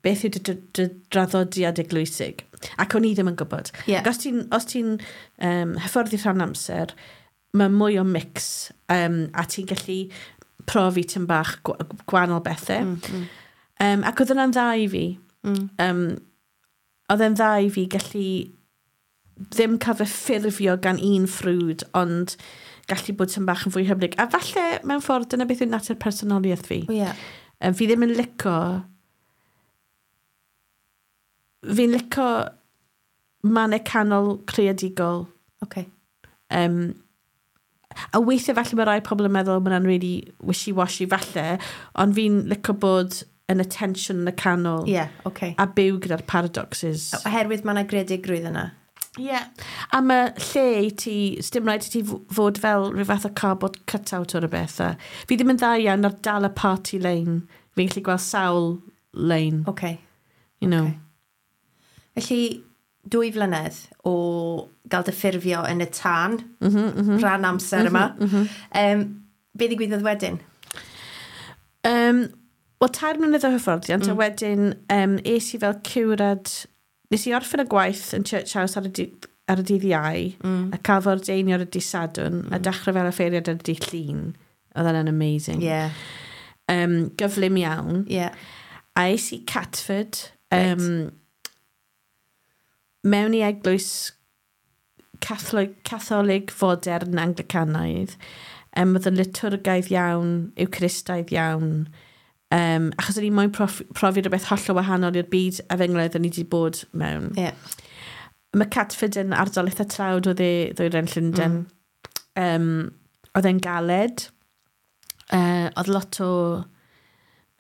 beth yw dy, dy, dy draddodiad eglwysig. Ac o'n i ddim yn gwybod.
Yeah.
Ac os ti'n os ti um, hyfforddi rhan amser, mae mwy o mix um, a ti'n gallu profi tym bach gwahanol bethau.
Mm, mm.
Um, ac oedd hwnna'n dda i fi.
Mm.
Um, oedd e'n dda i fi gallu ddim cael fy ffurfio gan un ffrwd, ond gallu bod tym bach yn fwy hyblyg. A falle, mewn ffordd, dyna beth yw natur personoliaeth fi.
Yeah.
Um, fi ddim yn lico... Fi'n lico mannau canol creadigol.
Okay.
Um, a weithiau falle mae rai pobl yn meddwl mae hwnna'n really wishy-washy falle, ond fi'n lico bod yn y tension yn y canol.
Yeah, okay.
A byw gyda'r paradoxes.
Oherwydd mae yna greadigrwydd yna.
Ie. Yeah. A mae lle i ti, dim rhaid i ti fod fel rhyw fath o cardboard cut-out o'r beth. A fi ddim yn dda iawn ar dal y party lane. Fi'n gallu gweld sawl lane.
Okay.
You know.
Okay. Felly, dwy flynedd o gael dy ffurfio yn y tân,
mm -hmm, mm -hmm.
rhan amser yma.
Mm -hmm.
Um, be ddigwyddodd wedyn?
Um, Wel, tair mlynedd o hyfforddiant, mm. a wedyn um, es i fel ciwrad. Nes i orffen y gwaith yn Church House ar y, di, ar y dydd Iau,
mm.
a cael fy ordeinio ar y dydd Sadwrn, mm. a dechrau fel offeiriad ar y dydd Llun. Oedd hwnna'n amazing.
Yeah.
Um, gyflym iawn.
Yeah.
A es i Catford, um,
Right.
mewn i eglwys Catholig, Catholig fodern Anglicanaidd. Um, oedd yn liturgaidd iawn, Eucharistaidd iawn. Um, achos o'n i moyn profi, profi rhywbeth hollol wahanol i'r byd efengylaidd o'n i wedi bod mewn.
Yeah.
Mae Catford yn ardal eitha tlawd o dde ddwyrain Llundain. Mm. Um, oedd e'n galed. Uh, oedd lot o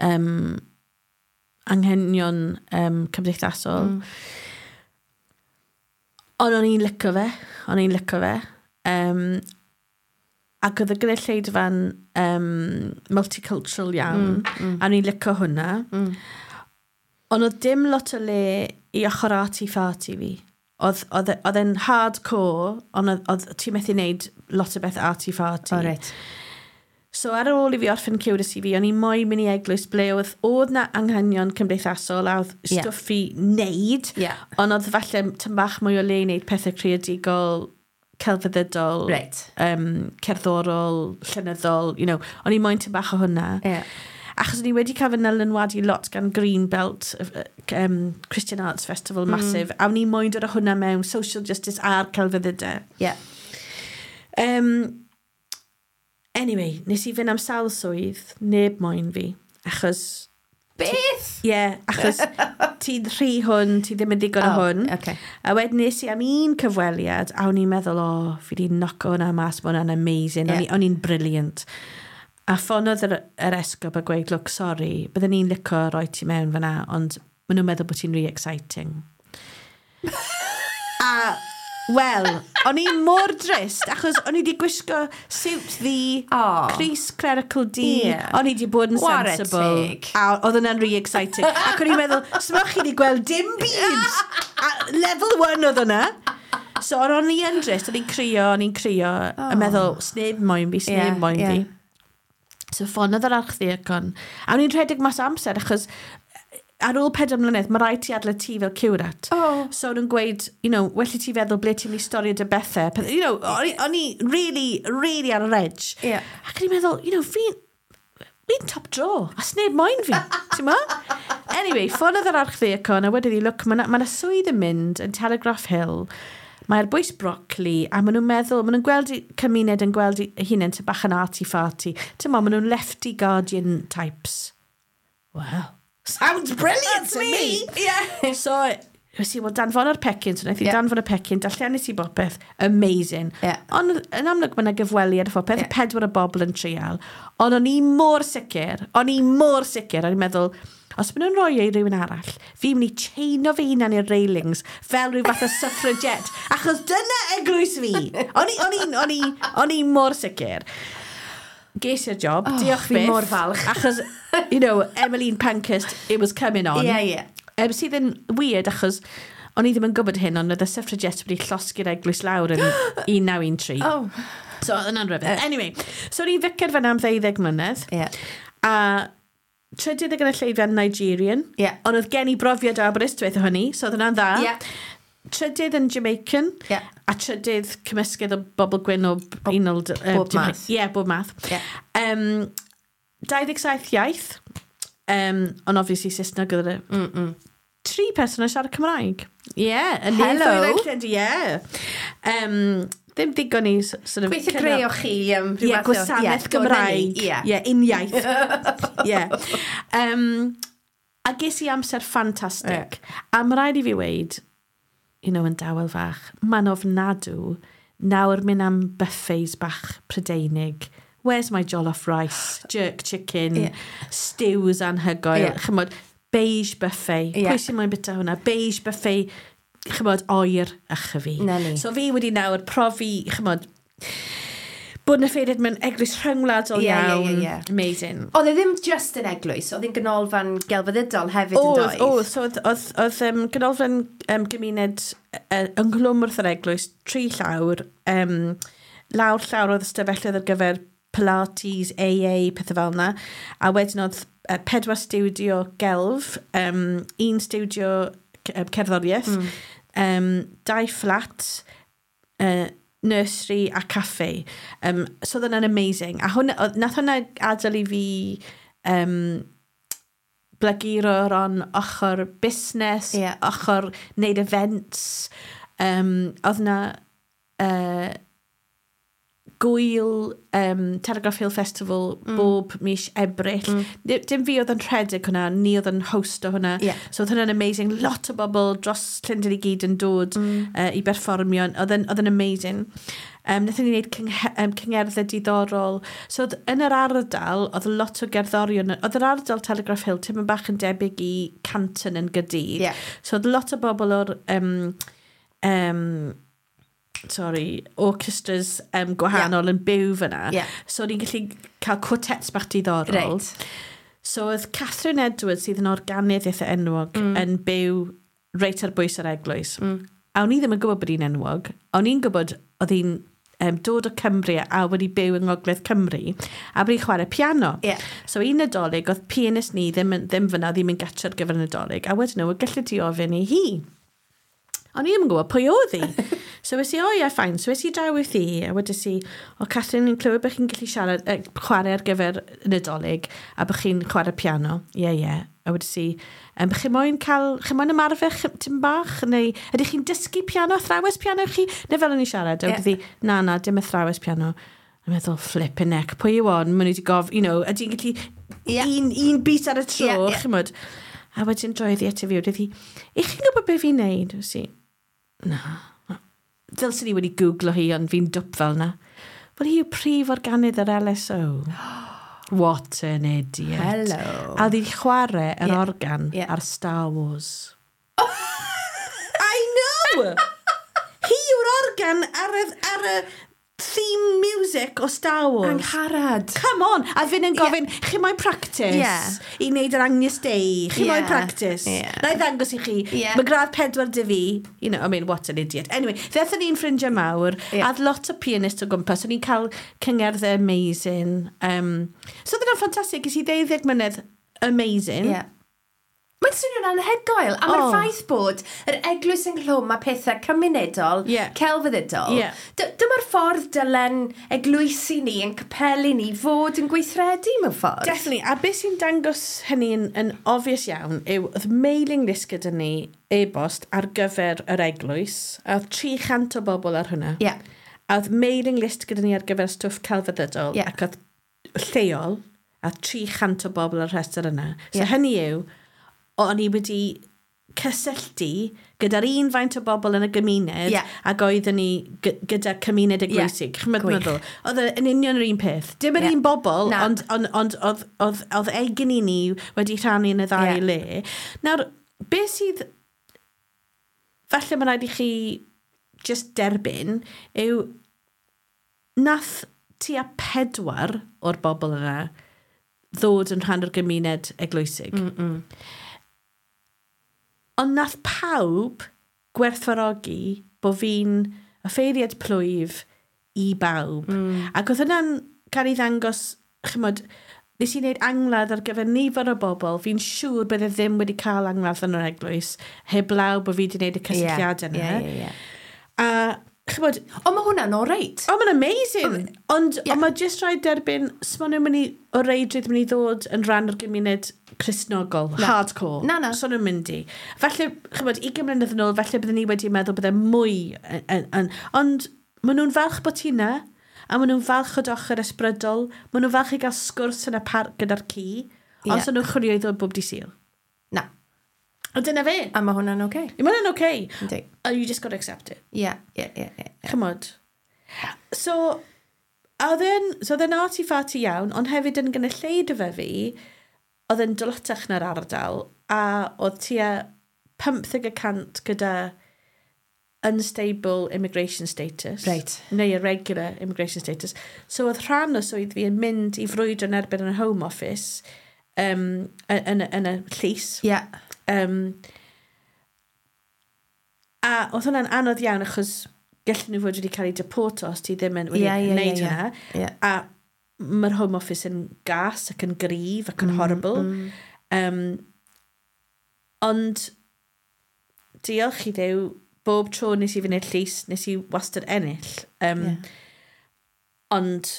um, anghenion um, cymdeithasol.
Mm.
Ond o'n i'n licio fe. O'n i'n licio fe. Um, ac oedd y gynulleidfa'n um, multicultural iawn.
Mm, mm.
A o'n i'n licio hwnna.
Mm.
Ond oedd dim lot o le i ochr arty-farty fi. Oedd, oedd, e- oedd e'n hardcore, ond oedd, oedd ti'n methu wneud lot o beth arty-farty.
O, reit.
So ar ôl i fi orffen curacy fi, o'n i moyn mynd i eglwys ble oedd, oedd na anghenion cymdeithasol a oedd
Ie.
stwff i wneud,
Yeah.
ond oedd falle tym bach mwy o le i wneud pethau creadigol, celfyddydol,
Reit.
um, cerddorol, llenyddol, you know, o'n i moyn tym bach o hwnna.
Yeah.
Achos o'n i wedi cael fy nylanwadu lot gan Greenbelt, um, Christian Arts Festival
Mm.
massive, a o'n i moyn dod â hwnna mewn social justice a'r celfyddydau.
Yeah.
Um, anyway, nes i fynd am sawl swydd, neb moyn fi, achos
Beth?
Ie, yeah, achos ti'n rhy hwn, ti ddim yn ddigon o
Oh,
hwn.
okay.
A wedyn nes i am un cyfweliad, a o'n i'n meddwl, o, oh, fi di knock hwnna mas, ma hwnna'n amazing, yeah. O'n i'n brilliant. A ffonodd yr, yr esgob a gweud, "Look, sorry, bydden ni'n licio roi ti mewn fyna, ond maen nhw'n meddwl bod ti'n really exciting." A, wel, o'n i mor drist, achos o'n i wedi gwisgo siwt ddu,
Oh.
crys clerical du,
Ie.
o'n i wedi bod yn
Ware
sensible.
teg.
A oedd hwnna'n really exciting. Ac o'n i'n meddwl, smwch chi wedi gweld dim byd. A level one oedd hwnna. So o'n i yn drist, o'n i'n crio, o'n i'n crio, oh. a meddwl, sneb moyn fi, sneb
Ie,
moyn
ie.
fi. So ffonodd yr archddiacon. A o'n i'n rhedeg mas o amser, achos ar ôl pedair mlynedd, mae rhaid ti adael y tŷ fel curate.
Oh.
So o'n nhw'n gweud, you know, well i ti feddwl ble ti'n mynd i storio dy bethau. Peth- You know, o'n i- o'n i really, really ar yr edge.
Ie.
Ac o'n i'n meddwl, you know, fi'n fi'n top drawer, a sneb moyn fi, ti'n ma? Anyway, ffonodd yr archddiacon a wedodd hi, "Look, mae yna ma swydd yn mynd yn Telegraph Hill, mae'r bwys brocoli, a maen nhw'n meddwl, maen nhw'n gweld i- cymuned yn gweld i hunain ty bach yn arty-farty. Ti'n ma, maen nhw'n lefty Guardian types." Well, sounds brilliant to me!
Yeah.
So, nes i, wel, danfon o'r pecyn, so wnaeth i
Yeah.
danfon y pecyn, darllenis i bopeth, amazing.
Yeah.
Ond yn amlwg mae yna gyfweliad a phopeth,
Yeah.
yeah. pedwar o bobl yn trial. Ond o'n i mor sicr, o'n i mor sicr, o'n i'n meddwl, os maen nhw'n rhoi e i rywun arall, fi'n mynd i chaino fy hunan i'r railings fel rhyw fath o suffragette, achos dyna eglwys fi. O'n i, o'n i, o'n i, o'n i mor sicr. Ges i'r job,
Oh,
diolch
fi
byth.
mor falch.
Achos, you know, Emmeline Pankhurst, it was coming on.
Ie, ie.
Um, sydd yn weird achos o'n i ddim yn gwybod hyn, ond oedd y suffragettes wedi llosgi'r eglwys lawr yn un naw un tri.
Oh.
So oedd hwnna'n rhyfedd. Anyway, so o'n i'n ficer fyna am ddeuddeg mlynedd.
Ie.
A trydydd y gynulleidfa Nigerian.
Ie.
Ond oedd gen i brofiad o Aberystwyth o hynny, so oedd hwnna'n dda.
Ie.
Trydydd yn Jamaican.
Ie.
A trydydd cymysgedd o bobl gwyn o unol...
Bob math.
Ie, yeah, bob math.
Ie.
Um, dau ddeg saith iaith. Um, ond obviously Saesneg oedd y...
Mm -mm.
Tri person yn siarad Cymraeg. Ie. Yeah, yn
Hello.
Ie. Um, ddim digon i s- sort of...
Gweithio greu o chi um, rhyw
Ie,
fath o-
gwasanaeth
ie, do, 'na ni,
Gymraeg.
Ie.
Ie, uniaith. Ie. Um, a ges i amser ffantastig. A mae rhaid i fi weud, you know, yn dawel fach, mae'n ofnadw nawr mynd am buffets bach Prydeinig. Where's my jollof rice, jerk chicken,
Ie.
stews anhygoel,
Ie.
chymod, beige buffet.
Ie.
Pwy sy'n moyn bita hwnna? Beige buffet, chymod, oer a chyfi.
'Na ni.
So fi wedi nawr profi, chymod, bod yn offeiriad mewn eglwys rhyngwladol
Ie, ie,
iawn.
ie, ie.
Amazing.
Oedd e ddim just yn eglwys, oedd e'n ganolfan gelfyddydol hefyd yn
Oedd,
doedd?
oedd, so oedd, oedd, oedd um, ganolfan um, gymuned uh, ynghlwm wrth yr eglwys, tri llawr, um, lawr llawr oedd ystafelloedd ar gyfer Pilates, A A, pethau fel yna. A wedyn oedd uh, pedwar stiwdio gelf, um, un stiwdio c- um, cerddoriaeth, mm. um, dau fflat, uh, nursery a caffe. Um, so oedd hwnna'n amazing. A hwnna, oedd- nath hwnna adael i fi um, blaguro ran ochr busnes,
Ie.
ochr wneud events. Um, oedd na uh, gwyl um, Telegraph Hill Festival mm. bob mis Ebrill. Mm. Dim fi oedd yn rhedeg hwnna, ni oedd yn host o hwnna.
Ie.
So oedd hwnna'n amazing. Lot o bobl dros Llundain i gyd yn dod mm. uh, i berfformio. Oedd yn, oedd yn amazing. Um, Wnaethon ni wneud cynghe, um, cyngerddau diddorol. So oedd yn yr ardal, oedd lot o gerddorion. Oedd yr ardal Telegraph Hill tipyn bach yn debyg i Canton yn Gaerdydd.
Ie.
So oedd lot o bobl o'r um, um, sorry, orchestras um, gwahanol yeah. yn byw fyna.
Ie.
So o'n i'n gallu cael quartets bach diddorol.
Reit.
So oedd Catherine Edwards, sydd yn organydd eitha enwog, mm. yn byw reit ar bwys yr eglwys. Mm. A o'n i ddim yn gwybod bod hi'n enwog. O'n i'n gwybod oedd hi'n um, dod o Cymru a wedi byw yng Ngogledd Cymru a bod hi'n chwarae piano.
Ie.
So un Nadolig, oedd pianist ni ddim, yn- ddim fyna, ddim yn gatre ar gyfer y Nadolig. A wedyn nhw, gallu ti ofyn i hi. O'n i ddim yn gwybod pwy oedd hi. So es i, "O ie, fine." So es i draw wrth hi, a wedes i, "O Catherine, ni'n clywed bod chi'n gallu siarad, eh, chwarae ar gyfer y Nadolig, a bod chi'n chwarae piano." "Ie, ie." A wedes i, um, "Chi moyn cael, chi moyn ymarfer ch- tim bach? Neu ydych chi'n dysgu piano, athrawes piano chi?" Neu fel o'n i siarad. A
Ie.
wedodd hi, "Na, na, dim athrawes piano." A meddwl, flipping heck, pwy yw on? Maen nhw wedi gof, you know, ydy'n gallu
Yeah.
Un, un beat ar y tro,
Yeah, yeah.
chimod. A wedyn droedd hi ati fi, wedi hi, i chi'n gwybod beth fi'n neud? Wnes i, na. Dylswn i wedi googlo hi, ond fi'n dwp fel na. Wel, hi yw prif organydd yr L S O. What an idiot.
Hello.
A oedd hi'n chwarae yr
Yeah.
organ
Yeah.
ar Star Wars. I know! Hi yw'r organ ar y, ar y theme music o Star Wars.
Angharad.
Come on! A fi'n yn gofyn, yeah, chi moyn practice
Yeah.
i wneud yr Agnus Dei? Chi moyn
Yeah.
practice?
Yeah.
Na i ddangos i chi.
Yeah.
Mae gradd pedwar dy fi. You know, I mean, what an idiot. Anyway, ddaethon ni'n ffrindiau mawr,
Yeah.
a oedd lot o pianist o gwmpas. O'n i'n cael cyngerddau amazing. Um, so oedd hwnna'n ffantastig. Ges i ddeuddeg mlynedd amazing.
Yeah. Mae'n swnio'n anhygoel. A mae'r
Oh.
ffaith bod yr eglwys ynghlwm a pethau cymunedol,
Yeah.
celfyddydol,
Yeah.
dy- dyma'r ffordd dylen eglwysi ni yn capeli ni fod yn gweithredu mewn ffordd.
Definitely. A beth sy'n dangos hynny yn, yn obvious iawn yw oedd mailing list gyda ni e-bost ar gyfer yr eglwys. A oedd tri chant o bobl ar hwnna.
Yeah.
A oedd mailing list gyda ni ar gyfer stwff celfyddydol
Ie.
ac oedd lleol a tri chant o bobl ar rhestr yna. So
Ie.
hynny yw, o'n i wedi cysylltu gyda'r un faint o bobl yn y gymuned
Ie.
ac oeddwn ni gy- gyda cymuned eglwysig. Ch'mod
Gwych.
meddwl? Oedd e yn union yr un peth. Dim yr
Ie.
un bobl,
Na.
ond, ond, ond oedd, oedd, oedd egni ni wedi rhannu yn y ddau
Ie.
le. Nawr, beth sydd falle mae rhaid i chi just derbyn yw nath tua pedwar o'r bobl yna ddod yn rhan o'r gymuned eglwysig. Mm -mm. Ond nath pawb gwerthfawrogi bod fi'n offeiriad plwyf i bawb. Mm. Ac oedd hwnna'n cael ei ddangos, chymod, nes i wneud angladd ar gyfer nifer o bobl, fi'n siŵr bydde ddim wedi cael angladd yn yr eglwys, heblaw bod fi wedi gwneud y cysylltiadau yna.
Ie, ie, ie.
A, chymod,
Ond mae hwnna'n oreit.
O, mae'n amazing! Ond
Ie.
yeah, mae jyst rhaid derbyn, so maen nhw'n mynd i, o reidrwydd mynd i ddod yn rhan o'r gymuned Cristnogol,
Na.
hardcore.
Na, na.
So nhw'n mynd i. Falle, chymod, ugain mlynedd yn ôl, falle bydden ni wedi meddwl bydde mwy. Yn, yn, yn, ond maen nhw'n falch bod ti 'na, a maen nhw'n falch o dy ochr ysbrydol, maen nhw'n falch i gael sgwrs yn y parc gyda'r ci,
Ie.
ond so nhw'n chwilio i ddod bob dydd Sul.
Na.
A dyna fe.
A mae hwnna'n oce.
Mae hwnna'n okay.
Yndi.
Oh, you just got to accept it.
Ie, ie, ie, ie.
Chymod. So, a oedd e'n, so oedd e'n arty-farty iawn, ond hefyd yn gynulleidfa fi, oedd e'n dlotach na'r ardal, a oedd tua pymtheg y cant gyda unstable immigration status.
Reit.
Neu irregular immigration status. So oedd rhan o swydd fi yn mynd i frwydro yn erbyn yn y Home Office um, yn, yn, yn y llys.
Ie.
Um, a oedd hwnna'n anodd iawn achos gallen nhw fod wedi cael eu deporto os ti ddim yn wedi
Ie, ie,
wneud
ie, ie.
hwnna.
Ie.
A mae'r Home Office yn gas ac yn gryf ac yn mm, horrible. Mm. Um, ond diolch i Dduw, bob tro nes i fynd i'r llys, nes i wastad ennill. Um,
Ie.
Ond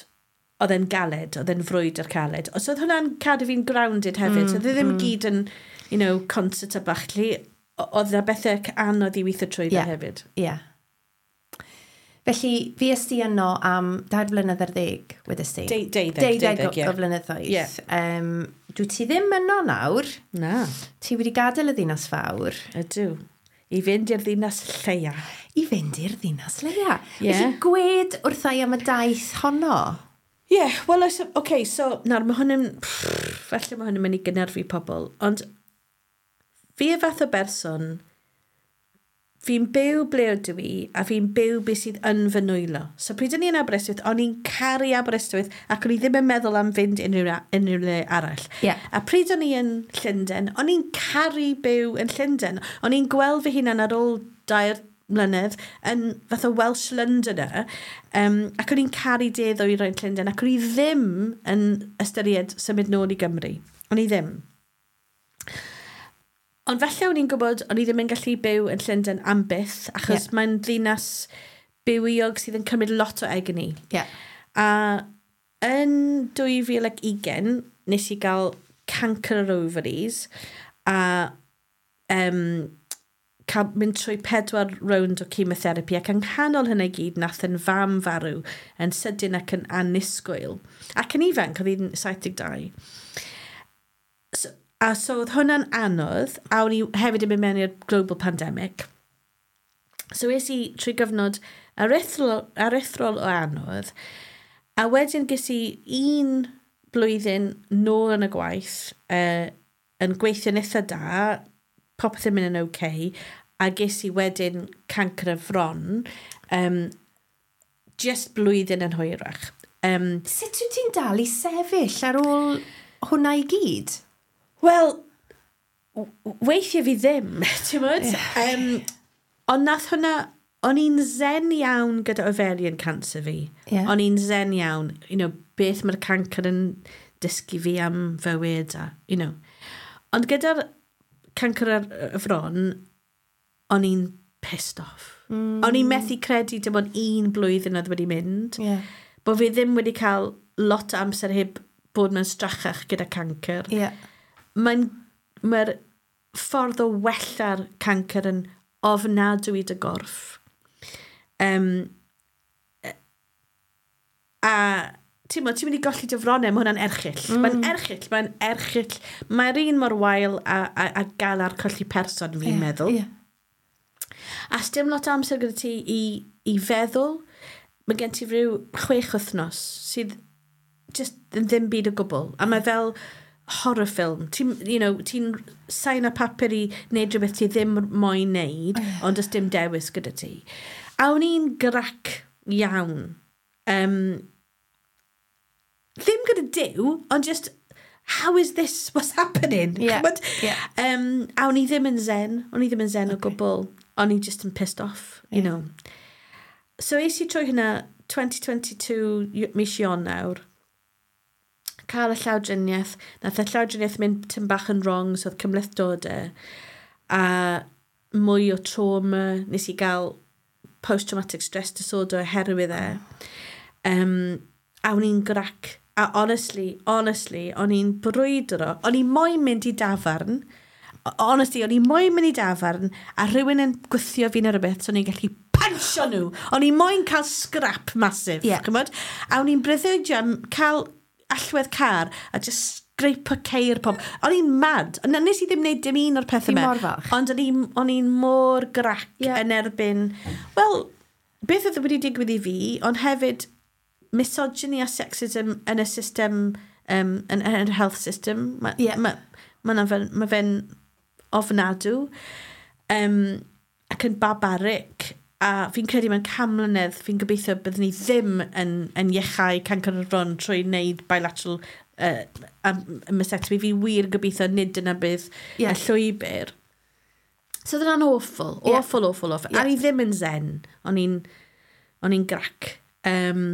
oedd e'n galed, oedd e'n frwydr caled. So oedd hwnna'n cadw fi'n grounded hefyd. Mm, so oedd e ddim mm. gyd yn, you know, concert a bachlu. Oedd yna bethau anodd i weithio trwy
Ie.
hefyd.
Ie. Felly, fi esti yno am dair blynedd ar ddeg, wedys ti?
Deu- deuddeg,
Deuddeg
deuddeg,
o,
ie.
o flynyddoedd.
Ie.
Um, dwi ti ddim yno nawr.
Na,
Ti wedi gadael y ddinas fawr
ydw. I fynd i'r ddinas lleia.
I fynd i'r ddinas leia.
Ie.
Felly, gwed wrtha i am y daith honno.
Ie, yeah, wel, oce, okay, so, nawr, mae hwn yn... Falle mae hwn yn mynd i gynhyrfu pobl, ond fi y fath o berson, fi'n byw ble ydw i, a fi'n byw beth sydd yn fy nwylo. So pryd o'n i yn Aberystwyth, o'n i'n caru Aberystwyth, ac o'n i ddim yn meddwl am fynd unrhyw, unrhyw le arall.
Ie.
A pryd o'n i yn Llundain, o'n i'n caru byw yn Llundain. O'n i'n gweld fy hunan ar ôl dair mlynedd yn fath o Welsh Londoner, um, ac o'n i'n caru de ddwyrain Llundain, ac o'n i ddim yn ystyried symud nôl i Gymru. O'n i ddim. Ond falle o'n i'n gwybod, o'n i ddim yn gallu byw yn Llundain am byth, achos
Ie.
yeah, mae'n ddinas bywiog sydd yn cymryd lot o egni.
Ie.
A yn dwy fil ac ugain, nes i gael cancer yr ovaries a um, cael mynd trwy pedwar rownd o chemotherapy, ac yng nghanol hynny i gyd nath yn fam farw yn sydyn ac yn annisgwyl. Ac yn ifanc, oedd hi'n saith deg dau. So, a so oedd hwnna'n anodd, a o'n i hefyd yn mynd mewn i'r global pandemic. So es i trwy gyfnod aruthrol, aruthrol o anodd, a wedyn ges i un blwyddyn nôl yn y gwaith, uh, yn gweithio'n eitha da, popeth yn mynd yn okay, a ges i wedyn cancr y fron, um, just blwyddyn yn hwyrach. Um,
Sut wyt ti'n dal i sefyll ar ôl hwnna i gyd?
Wel, weithiau fi ddim, ti'n gwbod? Yeah. Um, ond nath hwnna, o'n i'n zen iawn gyda ovarian cancer fi.
Yeah.
O'n i'n zen iawn, you know, beth mae'r cancer yn dysgu fi am fywyd, a, you know. Ond gyda'r cancer ar y fron, o'n i'n pissed off. Mm. O'n i'n methu credu dim ond un blwyddyn oedd wedi mynd.
Yeah.
Bod fi ddim wedi cael lot o amser heb bod mewn strachach gyda cancer.
Yeah.
Mae'n, mae'r ffordd o wella'r cancer yn ofnadwy i dy gorff. Um, a ti'n mo, ti'n mynd i golli dy fronnau, mae hwnna'n erchyll. Mm. Mae'n erchyll, mae'n erchyll. Mae'r un mor wael a, a, a galar colli person, fi'n
Yeah,
meddwl.
Yeah.
A sdim lot o amser gyda ti i, i feddwl. Mae gen ti rhyw chwech wythnos sydd just yn ddim byd o gwbl. A mae fel horror film. Ti'n you know, ti'n sign-o papur i wneud rhywbeth ti ddim moyn wneud, oh, yeah. Ond does dim dewis gyda ti. A o'n i'n grac iawn. Um, ddim gyda Duw, ond just, how is this, what's happening?
Yeah,
Ch'mod?
yeah.
Um, a o'n i ddim yn zen, o'n i ddim yn zen
Okay.
o gwbl. O'n i just yn pissed off, you
Yeah.
know. So es i trwy hynna twenty twenty-two y- mis Ionawr, cael y llawdriniaeth. Nath y llawdriniaeth mynd tym bach yn wrong, so oedd cymhlethdodau. A mwy o trauma, nes i gael post-traumatic stress disorder oherwydd e. Um, a o'n i'n grac. A honestly, honestly, o'n i'n brwydro. O'n i moyn mynd i dafarn. Honestly, o'n i moyn mynd i dafarn a rhywun yn gwthio fi neu rhywbeth, so o'n i'n gallu puncho nhw. O'n i moyn cael scrap massive,
Yeah.
ch'mod? A o'n i'n breuddwydio am cael allwedd car a just scrape ceir pob. O'n i'n mad. Na, nes i ddim wneud dim un o'r pethau
Fi
yma.
mor falch.
Ond o'n i'n o'n i'n mor grac
Yeah.
yn erbyn... Wel, beth oedd wedi digwydd i fi, ond hefyd misogyny a sexism yn y system, um, yn, yn yr health system. Mae
Yeah.
ma, ma, ma fe'n ma fe'n ofnadw um, ac yn barbaric. A fi'n credu mewn can mlynedd, fi'n gobeithio byddwn ni ddim yn, yn iachau cancr y fron trwy wneud bilateral uh, mastectomy. Fi wir gobeithio nid dyna bydd
Yeah.
y llwybr. So oedd hwnna'n awful,
Yeah.
awful, awful, awful.
Yeah.
A ni ddim yn zen, o'n i'n o'n i'n grac. Um,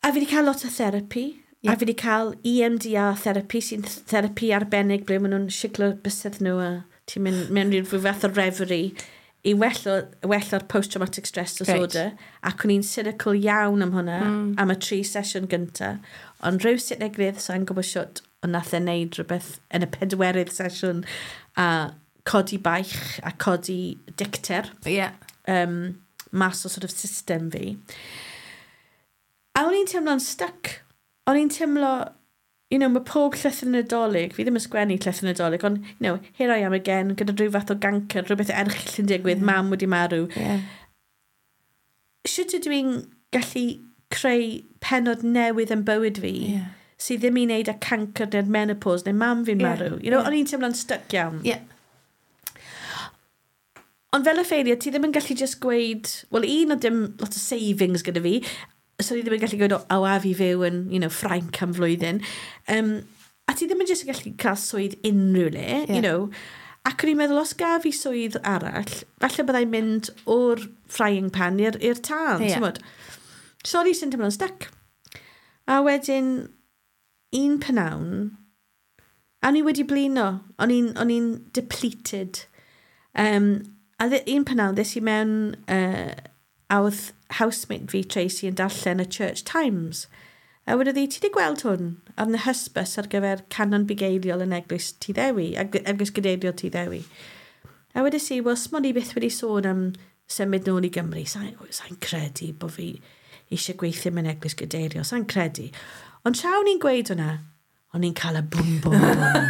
a fi wedi cael lot o therapi.
Yeah.
A fi wedi cael E M D R therapy, sy'n therapi arbennig ble maen nhw'n siglo bysedd nhw a ti'n mynd mewn rhyw fath o reverie i wello, wella'r post-traumatic stress disorder. Right. Ac o'n i'n cynical iawn am hwnna, mm. am y tri sesiwn gynta. Ond rhyw sut neu gilydd, sa'n gwybod siwt, ond nath e wneud rhywbeth yn y pedwerydd sesiwn a codi baich a codi dicter
Yeah.
um, mas o sort of system fi. A o'n i'n teimlo'n stuck. O'n i'n teimlo, you know, mae pob llythyr Nadolig, fi ddim yn sgwennu llythyr Nadolig, ond, you know, here I am again, gyda rhyw fath o gancer, rhywbeth erchyll yn digwydd,
Yeah.
mam wedi marw.
Yeah.
Sut ydw i'n gallu creu pennod newydd yn bywyd fi,
Yeah.
sydd ddim i wneud â cancer neu'r menopause neu mam fi'n
Yeah,
marw? You know,
yeah.
o'n i'n teimlo'n stuck iawn.
Yeah.
Ond fel y ffeiriad, ti ddim yn gallu just gweud, wel, un o dim lot o savings gyda fi, so ni ddim yn gallu gweud, o, o a fi fyw yn, you know, Ffrainc am flwyddyn. Um, a ti ddim yn just yn gallu cael swydd unrhyw le,
Yeah.
you know. Ac o'n i'n meddwl, os gaf fi swydd arall, falle byddai'n mynd o'r frying pan i'r i'r tân,
Ie.
yeah. ti'n So o'n i sy'n teimlo'n stuck. A wedyn, un pnawn, a o'n i wedi blino, o'n i'n o'n i'n depleted. Um, a dde- un pnawn, ddes i mewn, uh, a oedd housemate fi, Tracy, yn darllen y Church Times. A wedodd hi, "Ti wedi gweld hwn?" A oedd 'na hysbys ar gyfer canon bugeiliol yn eglwys Tyddewi, eg- eglwys gadeiriol Tyddewi. A wedes i, "Wel, smon i byth wedi sôn am symud nôl i Gymru. Sa'n sa credu bod fi eisiau gweithio mewn eglwys gadeiriol, sa'n credu." Ond tra o'n i'n gweud hwnna, O'n i'n cael y bwm, bwm, bwm.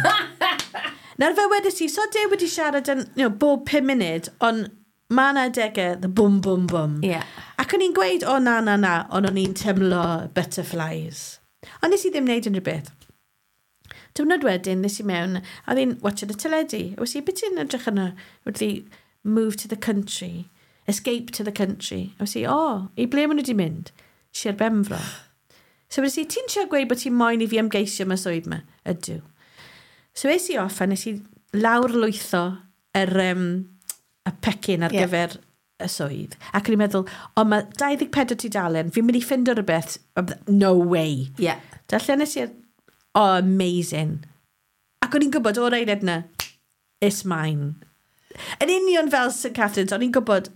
Nawr fe wedes i, so de wedi siarad yn, you know, bob pum munud, ond mae yna adegau, the bwm, bwm, bwm.
Yeah.
Ac o'n i'n gweud, o na, na, na, ond o'n i'n teimlo butterflies. Ond nes i ddim wneud unrhyw beth. Diwrnod wedyn, nes i mewn, a oedd hi'n watching y teledu. A wedes i, beth ti'n edrych yna? Wedi move to the country, escape to the country. A wedes i, o, i ble maen nhw wedi mynd? Sir Benfro. So wedes i, ti'n siarad gweud bod ti'n moyn i fi ymgeisio am y swydd yma? Ydw. So es i off a nes i lawr lwytho yr, um, y pecyn ar
Ie.
yeah. gyfer y swydd. Ac o'n i'n meddwl, o, mae dau ddeg pedwar tudalen, fi'n mynd i ffindo rhywbeth, no way.
Yeah.
Darllenes i'r, oh, amazing. Ac o'n i'n gwybod o'r eiliad yna, it's mine. Yn union fel Saint Catherine's, o'n i'n gwybod,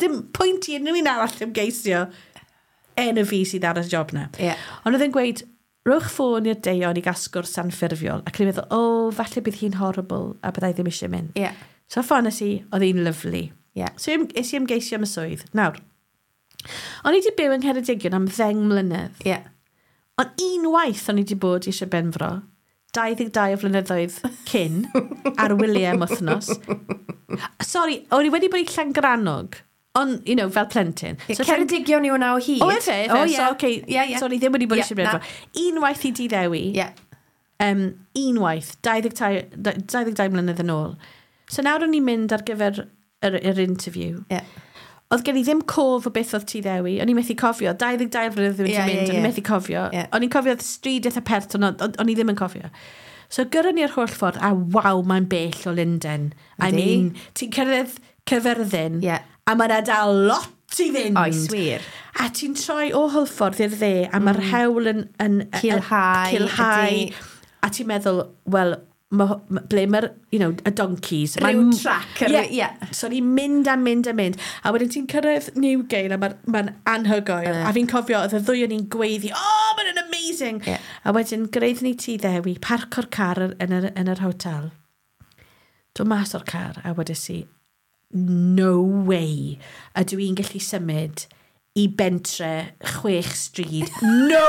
dim pwynt i unrhyw un arall ymgeisio enw fi sydd ar y job na.
Yeah.
Ond oedd e'n gweud, rhowch ffôn i'r Deion i gael sgwrs anffurfiol. Ac o'n i'n meddwl, o, oh, falle bydd hi'n horrible a byddai ddim eisiau mynd.
Yeah.
So ffones i, oedd hi'n lyfli.
Yeah.
So es i ymgeisio am y swydd. Nawr, o'n i wedi byw yng Ngheredigion am ddeng mlynedd.
Yeah.
Ond unwaith o'n i wedi bod i Sir Benfro, dau ddeg dau o flynyddoedd cyn, ar wyliau am wythnos. Sorry, o'n i wedi bod i Llangrannog, ond, you know, fel plentyn.
So, Ceredigion yw hwnna o hyd.
O, efe, efe.
O, ie.
So, okay,
Ie, ie.
So, o'n i ddim wedi bod i
Ie,
Sir Benfro. Unwaith i Dyddewi,
Ie.
um, unwaith, dau ddeg dau, dau ddeg dau mlynedd yn ôl. So nawr o'n i'n mynd ar gyfer yr, yr interview.
Ie.
Oedd gen i ddim cof o beth oedd Tyddewi. O'n i'n methu cofio. dau ddeg dau flynedd wedi
Ie, ie,
mynd, o'n
ie.
i'n methu cofio.
Ie.
O'n i'n cofio stryd eitha pert, ond o'n- o'n i ddim yn cofio. So gyrron ni'r holl ffordd, a waw, mae'n bell o Lundain. I
Ydi.
mean, ti'n cyrraedd Caerfyrddin,
Ie.
a mae'n dal lot i fynd.
Oes, wir.
A ti'n troi o Hwlffordd i'r dde, a mae'r mm. hewl yn... yn yn-
Culhau,
Culhau.
ydi.
A ti'n meddwl, wel, ma, ma, ble mae'r, you know, y donkeys.
Ryw
Mae'n-
track,
Ie.
ryw- ie.
So ni'n mynd a mynd a mynd. A wedyn ti'n cyrraedd Newgale a mae'n ma anhygoel.
Yy.
A fi'n cofio, oedd y ddwy o'n i'n gweiddi, oh, mae'n amazing.
Ie.
A wedyn gyrraedd ni Tyddewi, parco'r car yn yr, yn yr hotel. Dod mas o'r car a wedes i, no way ydw i'n gallu symud i bentre chwech stryd. No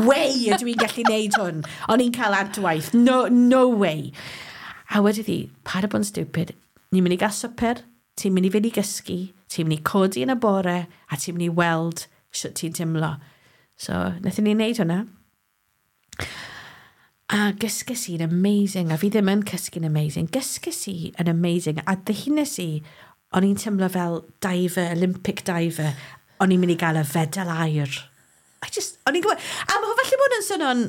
way ydw i'n gallu neud hwn. O'n i'n cael adwaith. No, no way. A wedodd hi, paid â bod yn stupid. Ni'n mynd i gael swper, ti'n mynd i fynd i gysgu, ti'n mynd i codi yn y bore, a ti'n mynd i weld sut ti'n teimlo. So, wnaethon ni wneud hwnna. A gysges i'n amazing, a fi ddim yn cysgu'n amazing. Gysges i yn amazing, a ddihunes i, o'n i'n teimlo fel diver, Olympic diver, o'n i'n mynd i gael y fedal aur. I just, o'n i'n gwybod, a mae falle bod yn swnio'n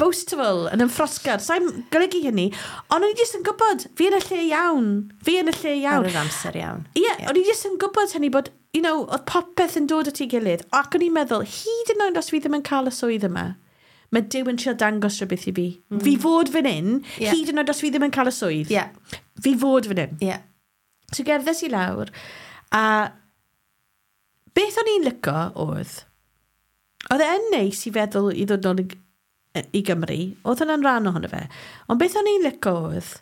boastful, yn ymffrostgar, sa'n golygu hynny, ond o'n i jyst yn gwybod, fi yn y lle iawn, fi yn y lle iawn.
Ar yr amser iawn.
Ie, yeah, o'n i jyst yn gwybod hynny bod, you know, oedd popeth yn dod at ei gilydd, ac o'n i'n meddwl, hyd yn oed os fi ddim yn cael y swydd yma, mae Duw yn trio dangos rhywbeth i fi. Mm. Fi fod fan hyn,
Ie.
yeah. hyd yn oed os fi ddim yn cael y swydd.
Ie.
Fi fod fan hyn.
Ie.
So gerddes i lawr, a beth o'n i'n lico oedd, oedd e yn neis i feddwl i ddod nôl i, i Gymru, oedd hwnna'n rhan ohono fe, ond beth o'n i'n lico oedd,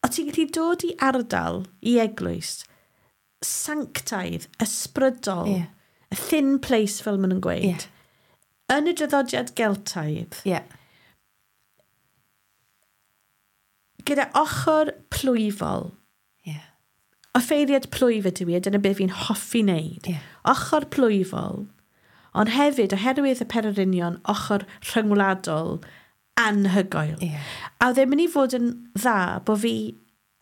o ti'n gallu dod i ardal, i eglwys, sanctaidd, ysbrydol,
Ie.
a thin place fel maen nhw'n gweud,
Ie.
yn y draddodiad Geltaidd,
Ie.
gyda ochr plwyfol,
Ie.
Offeiriad plwyf ydw i, a dyna beth fi'n hoffi wneud.
Ie.
Ochr plwyfol, ond hefyd, oherwydd y pererinion, ochr rhyngwladol anhygoel.
Ie.
A oedd e'n mynd i fod yn dda bod fi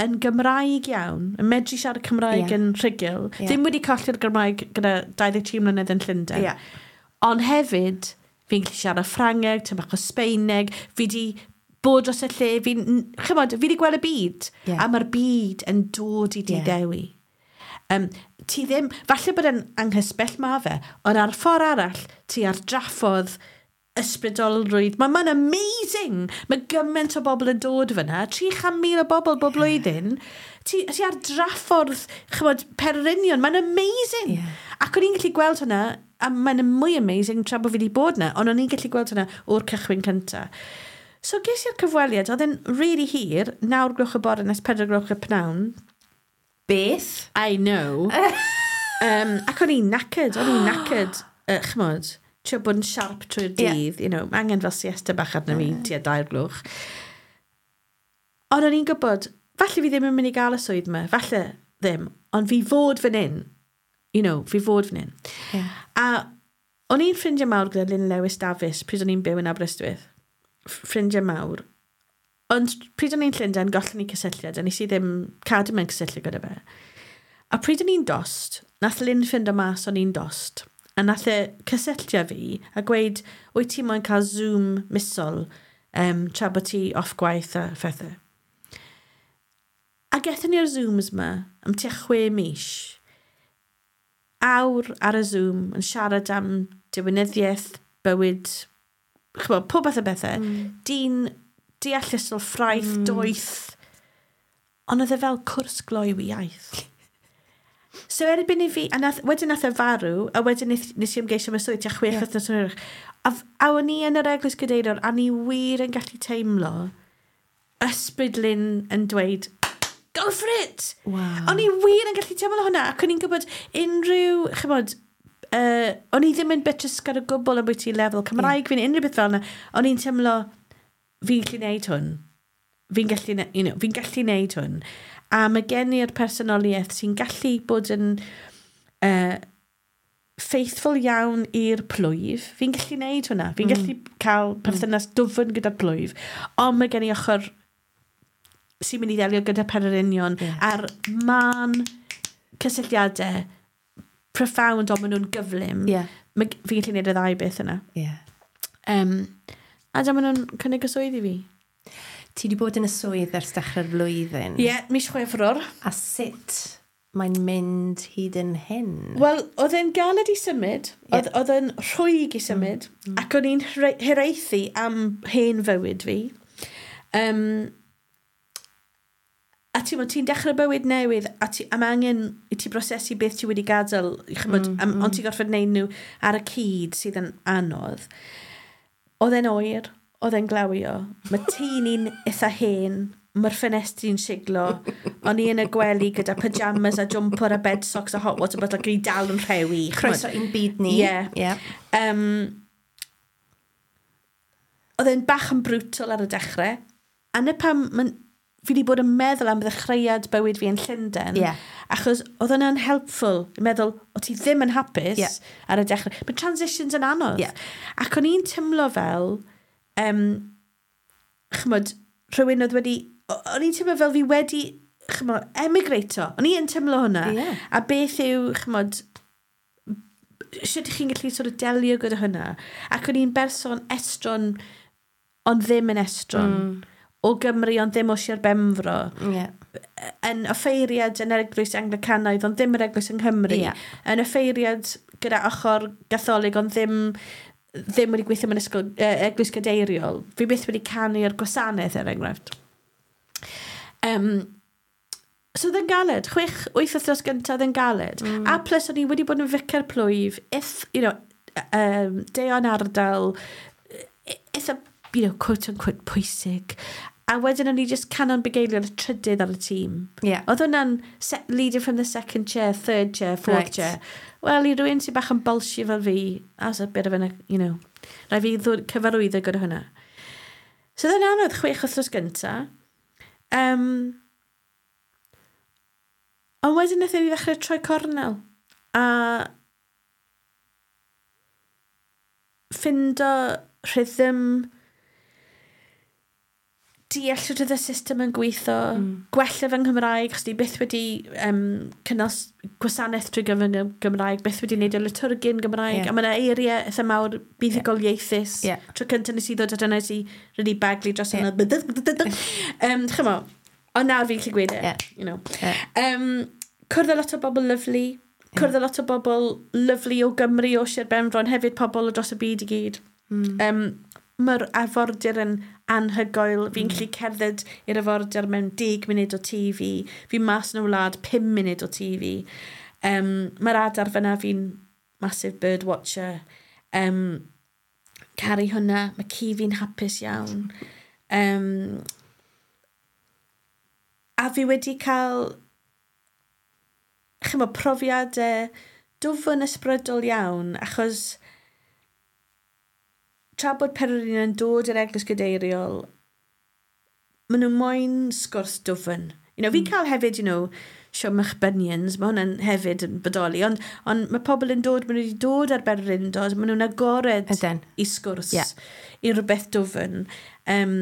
yn Gymraeg iawn, yn medru siarad Cymraeg
Ie.
yn rhugl,
Ie.
ddim wedi colli'r Gymraeg gyda dau ddeg tri mlynedd yn Llundain.
Ie.
Ond hefyd, fi'n gallu siarad Ffrangeg, tipyn bach o Sbeineg, fi di bod dros y lle, fi'n, chymod, fi di gweld y byd.
Ie.
A mae'r byd yn dod i di
Ie.
ddewi. Um, ti ddim, falle bod yn anghysbell ma fe, ond ar ffordd arall, ti ar draffordd ysbrydolrwydd. Mae'n ma amazing! Mae gymaint o bobl yn dod fyna, tri chant mil o bobl bob blwyddyn. Ti, ti ar draffordd, chymod, pererinion, mae'n amazing!
Ie.
Ac o'n i'n gallu gweld hwnna, a mae'n mwy amazing tra bod fi wedi bod yna, ond o'n i'n gallu gweld hwnna o'r cychwyn cynta. So ges i'r cyfweliad, oedd e'n really hir, naw gloch y bore nes pedwar gloch y pnawn.
Beth?
I know. um, ac o'n i'n knackered, o'n i'n knackered, uh, chymod, trio bod yn sharp trwy'r dydd, yeah. you know, mae angen fel siesta bach arno fi tua dair gloch. Ond o'n i'n gwybod, falle fi ddim yn mynd i gael y swydd yma, falle ddim, ond fi fod fan hyn, you know, fi fod fan hyn.
Yeah.
A o'n i'n ffrindiau mawr gyda Lynn Lewis Davies pryd o'n i'n byw yn Aberystwyth. Ffrindiau mawr. Ond pryd o'n i'n Llundain, gollon ni cysylltiad, a nes i ddim cadw mewn cysylltiad gyda fe. A pryd o'n i'n dost, nath Lynn ffindo mas o'n i'n dost. A nath e cysylltio fi a gweud, wyt ti moyn cael Zoom misol um, tra bod ti off gwaith a phethau. A gethon ni'r Zooms yma am tua chwe mis. Awr ar y Zoom yn siarad am diwinyddiaeth, bywyd, ch'mod, pob fath o bethau. Mm. Dyn deallusol, ffraeth, mm. doeth. Ond oedd e fel cwrs gloyw iaith. So erbyn i fi, a nath, wedyn nath e farw, a wedyn nes, nes i ymgeisio am y swydd, tua chwech
Ie.
wythnos yn hwyrach. A, f- a o'n i yn yr eglwys gadeiriol, a ni wir yn gallu teimlo ysbryd Lynn yn dweud, go for it!
Wow.
O'n i wir yn gallu teimlo hwnna, ac o'n i'n gwybod unrhyw, chymod, uh, o'n i ddim yn betrusgar o gwbl am bwyty lefel Cymraeg yeah. fi'n unrhyw beth fel yna. O'n i'n teimlo, fi'n gallu neud hwn. Fi'n gallu, ne- you know, fi'n gallu neud hwn. A mae gen i'r personoliaeth sy'n gallu bod yn uh, faithful iawn i'r plwyf. Fi'n gallu neud hwnna. Fi'n mm. gallu cael perthynas dwfn gyda'r plwyf. Ond mae gen i ochr sy'n mynd i ddelio gyda pererinion
Ie.
a'r man cysylltiadau profound ond maen nhw'n gyflym.
Ie.
Mae- Fi'n gallu neud y ddau beth yna.
Ie.
Um, a dyma nhw'n cynnig y swydd i fi.
Ti wedi bod yn y swydd ers dechrau'r flwyddyn.
Ie, yeah, mis Chwefror.
A sut mae'n mynd hyd yn hyn?
Wel, oedd e'n galed i symud, oedd, oedd e'n rhwyg i symud, mm. ac o'n i'n hre- hiraethu am hen fywyd fi. Um, a ti'n ti dechrau bywyd newydd, a, ti, a mae angen i ti brosesu beth ti wedi gadael, chymod, mm, am, mm. ond ti'n gorfod wneud nhw ar y cyd sydd yn anodd. Oedd e'n oer, oedd e'n glawio. Mae tŷ ni'n eitha hen, mae'r ffenestri'n siglo. O'n i yn y gwely gyda pyjamas a jumper a bed socks a hot water bottle ac o'n i dal yn rhewi. ch'mod.
Croeso i'n byd ni.
Ie.
Ie.
Um, oedd e'n bach yn brutal ar y dechrau. A na pam ma'n- fi wedi bod yn meddwl am ddechreuad bywyd fi yn Llundain.
Ie.
Achos oedd hwnna'n helpful. I meddwl, o ti ddim yn hapus
Ie.
ar y dechrau. Mae transitions yn anodd.
Ie.
Ac o'n i'n teimlo fel, um, chymod, rhywun oedd wedi... o- O'n i'n teimlo fel fi wedi, chymod, emigrato. O'n i'n teimlo hwnna.
Ie.
A beth yw, chymod, sut ych chi'n gallu sort of delio gyda hwnna? Ac o'n i'n berson estron, ond ddim yn estron. Mm. O Gymru, ond ddim o Sir Benfro.
Ie.
Yn offeiriad yn yr eglwys Anglicanaidd, ond ddim yr eglwys yng Nghymru.
Ie.
Yn offeiriad gyda ochr gatholig, ond ddim ddim wedi gweithio mewn ysgol, uh, eglwys gadeiriol. Fi byth wedi canu ar gwasanaeth, er enghraifft. Um, so oedd yn galed. Chwech, wyth wythnos gyntaf oedd yn galed. Mm. A plus o'n i wedi bod yn ficer plwyf, if, you know, um, deon ardal, eitha, you know, quote unquote, pwysig. A wedyn o'n i just canon bugeiliol y trydydd ar y tîm.
Ie.
Oedd hwnna'n se- leader from the second chair, third chair, fourth
Right.
chair. Wel, i rywun sy'n bach yn bolsio fel fi, that's a bit of an, you know, rhaid fi ddod cyfarwyddo gyda hwnna. So oedd yn anodd chwech wythnos gynta. Um, ond wedyn wnaethon ni ddechrau troi cornel. A ffindo rhythm, deall sut oedd y system yn gweithio, mm. gwella fy Nghymraeg, chos ni byth wedi um, cynnal s- gwasanaeth drwy gyfrwng y Gymraeg, byth wedi gwneud y liturgy yn Gymraeg,
Ie.
yeah. a mae yna eiriau eitha mawr buddugoliaethus.
Ie.
Tro cyntaf nes i ddod at yna, nes i really baglu dros
Ie.
yna. Um, Chymo, ond nawr fi'n gallu gweud e.
Ie.
You know.
Ie.
Um, cwrdd â lot o bobl lyfli. Cwrdd â lot o bobl lyfli o Gymru, o Sir Benfro, ond hefyd pobl o dros y byd i gyd.
Mm.
Um, Mae'r afordir yn anhygoel. Fi'n mm. gallu cerdded i'r afordir mewn deg munud o T V. Fi'n mas yn y wlad pum munud o T V. Um, Mae'r adar fyna, fi'n massive bird watcher. Um, caru hwnna, mae ci fi'n hapus iawn. Um, a fi wedi cael chymod, profiadau dwfn ysbrydol iawn, achos Tra bod pererin yn dod i'r eglwys gadeiriol, maen nhw moyn sgwrs dwfn. You know, mm. Fi cael hefyd, you know, siomach bunions, mae hwnna'n hefyd yn bodoli, ond, ond mae pobl yn dod, maen nhw wedi dod ar bererindod, maen nhw'n agored
Ydyn.
i sgwrs,
yeah.
i rhywbeth dwfn. Um,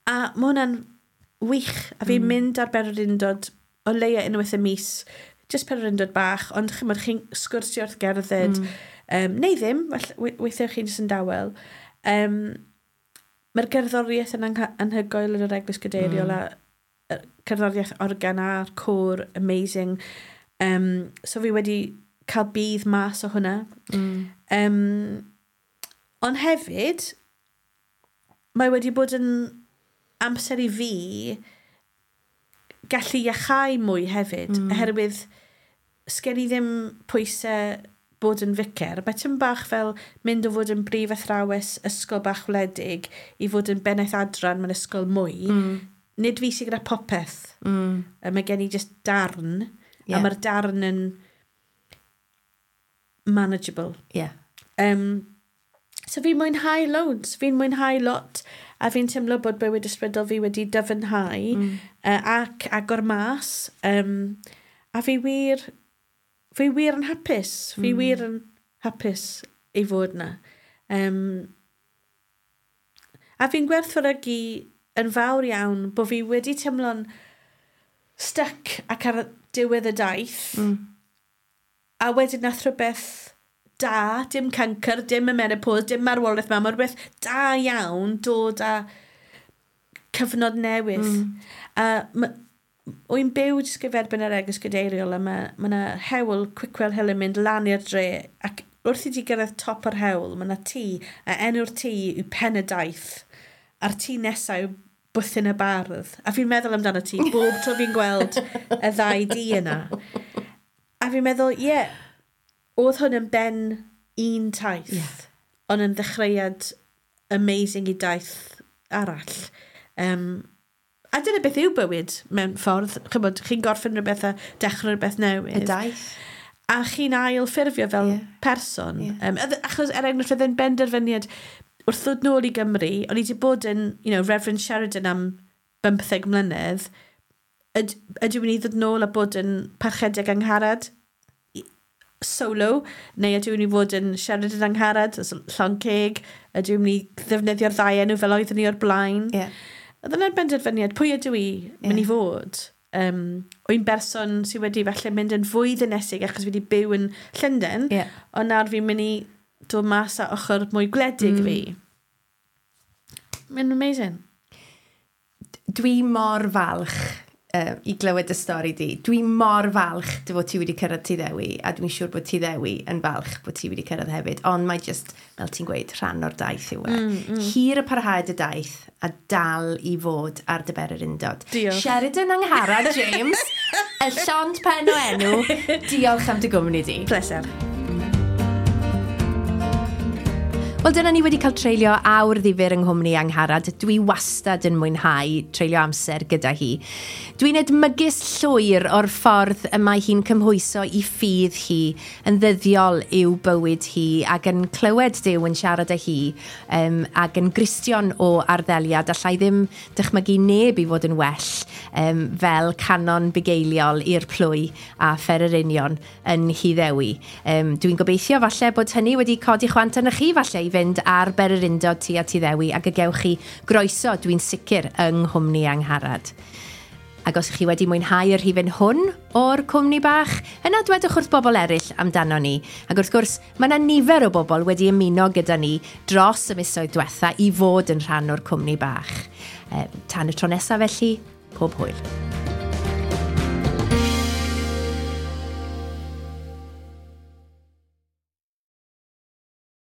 a mae hwnna'n wych, a fi'n mm. mynd ar bererindod o leia unwaith y mis, just pererindod bach, ond chymod, chi'n sgwrsio wrth gerdded, mm. um, neu ddim, weithiau chi'n jyst yn dawel. Um, Mae'r gerddoriaeth yn anhygoel yn yr eglwys gadeiriol mm. a cerddoriaeth organ a'r côr, amazing. Um, so fi wedi cael budd mas o hwnna.
Mm.
Um, ond hefyd, mae wedi bod yn amser i fi gallu iachau mwy hefyd,
mm.
oherwydd sgen i ddim pwysau bod yn ficer. Mae tym bach fel mynd o fod yn brif athrawes ysgol bach wledig i fod yn bennaeth adran mewn ysgol mwy.
Mm.
Nid fi sydd gyda popeth.
Mm.
Mae gen i just darn,
yeah.
a mae'r darn yn manageable.
Yeah.
Um, so fi'n mwynhau loads, fi'n mwynhau lot, a fi'n teimlo bod bywyd ysbrydol fi wedi dyfnhau
mm.
uh, ac agor mas. Um, a fi wir, fi wir yn hapus. Fi
mm.
wir yn hapus i fod na. Um, a fi'n gwerthfawrogi yn fawr iawn bod fi wedi teimlo'n stuck ac ar diwedd y daith.
Mm.
A wedyn nath rhywbeth da, dim cancer, dim y menopause, dim marwolaeth mam, mae rhywbeth da iawn dod â cyfnod newydd.
Mm.
A wy'n byw jyst gyferbyn yr eglwys gadeiriol a mae ma 'na hewl Quickwell Hill yn mynd lan i'r dre ac wrth i ti gyrraedd top yr hewl, mae 'na tŷ, a enw'r tŷ yw Pen y Daith, a'r tŷ nesaf yw Bwthyn y Bardd. A fi'n meddwl amdano ti bob tro fi'n gweld y ddau dŷ yna. A fi'n meddwl, ie, yeah, oedd hwn yn ben un taith,
yeah.
ond yn ddechreuad amazing i daith arall. Um, a dyna beth yw bywyd mewn ffordd. Chymod, chi'n gorffen rhywbeth a dechrau rhywbeth newydd.
Y daith.
A chi'n ail ffurfio fel
yeah.
person.
Yeah.
Um, achos er enghraifft, oedd e'n benderfyniad wrth ddod nôl i Gymru, o'n i wedi bod yn, you know, Reverend Sheridan am bymtheg mlynedd, yd, ydw i'n mynd i ddod nôl a bod yn parchedig Angharad solo, neu ydw i'n mynd i fod yn Sheridan Angharad, llond ceg, ydw i'n mynd i ddefnyddio'r ddau enw fel oeddwn i o'r blaen.
Yeah.
Oedd yna'r benderfyniad, pwy ydw i mynd
yeah.
i fod? Um, wy'n berson sydd wedi falle mynd yn fwy ddinesig achos fi wedi byw yn Llundain,
yeah.
ond nawr fi'n mynd i dod mas â ochr mwy gwledig
mm.
fi. Mae'n amazing.
Dwi mor falch uh, i glywed y stori di. Dwi mor falch dy fod ti wedi cyrraedd Tŷ Ddewi, a dwi'n siŵr bod Tŷ Ddewi yn falch bod ti wedi cyrraedd hefyd. Ond mae just, fel ti'n gweud, rhan o'r daith yw e.
Mm, mm.
Hir y parhad y daith a dal i fod ar dy bererindod.
Diolch.
Sheridan Angharad James, y llond pen o enw. Diolch am dy gwmni di.
Pleser.
Wel, dyna ni wedi cael treulio awr ddifyr yng nghwmni Angharad. Dwi wastad yn mwynhau treulio amser gyda hi. Dwi'n edmygus llwyr o'r ffordd y mae hi'n cymhwyso i ffydd hi yn ddyddiol i'w bywyd hi ac yn clywed Duw yn siarad â hi um, ac yn Gristion o arddeliad. Allai ddim dychmygu neb i fod yn well um, fel canon bugeiliol i'r plwy a phererinion yn Nhŷ Ddewi. Um, dwi'n gobeithio falle bod hynny wedi codi chwant arnoch chi falle i fynd ar bererindod ti a Tŷ Ddewi ac y gewch chi groeso, dwi'n sicr, yng nghwmni Angharad. Ac os ych chi wedi mwynhau y rhifyn hwn o'r cwmni bach, yna dwedwch wrth bobl eraill amdano ni. Ac wrth gwrs, mae yna nifer o bobl wedi ymuno gyda ni dros y misoedd diwetha i fod yn rhan o'r cwmni bach. E, tan y tro nesaf felly, pob hwyl.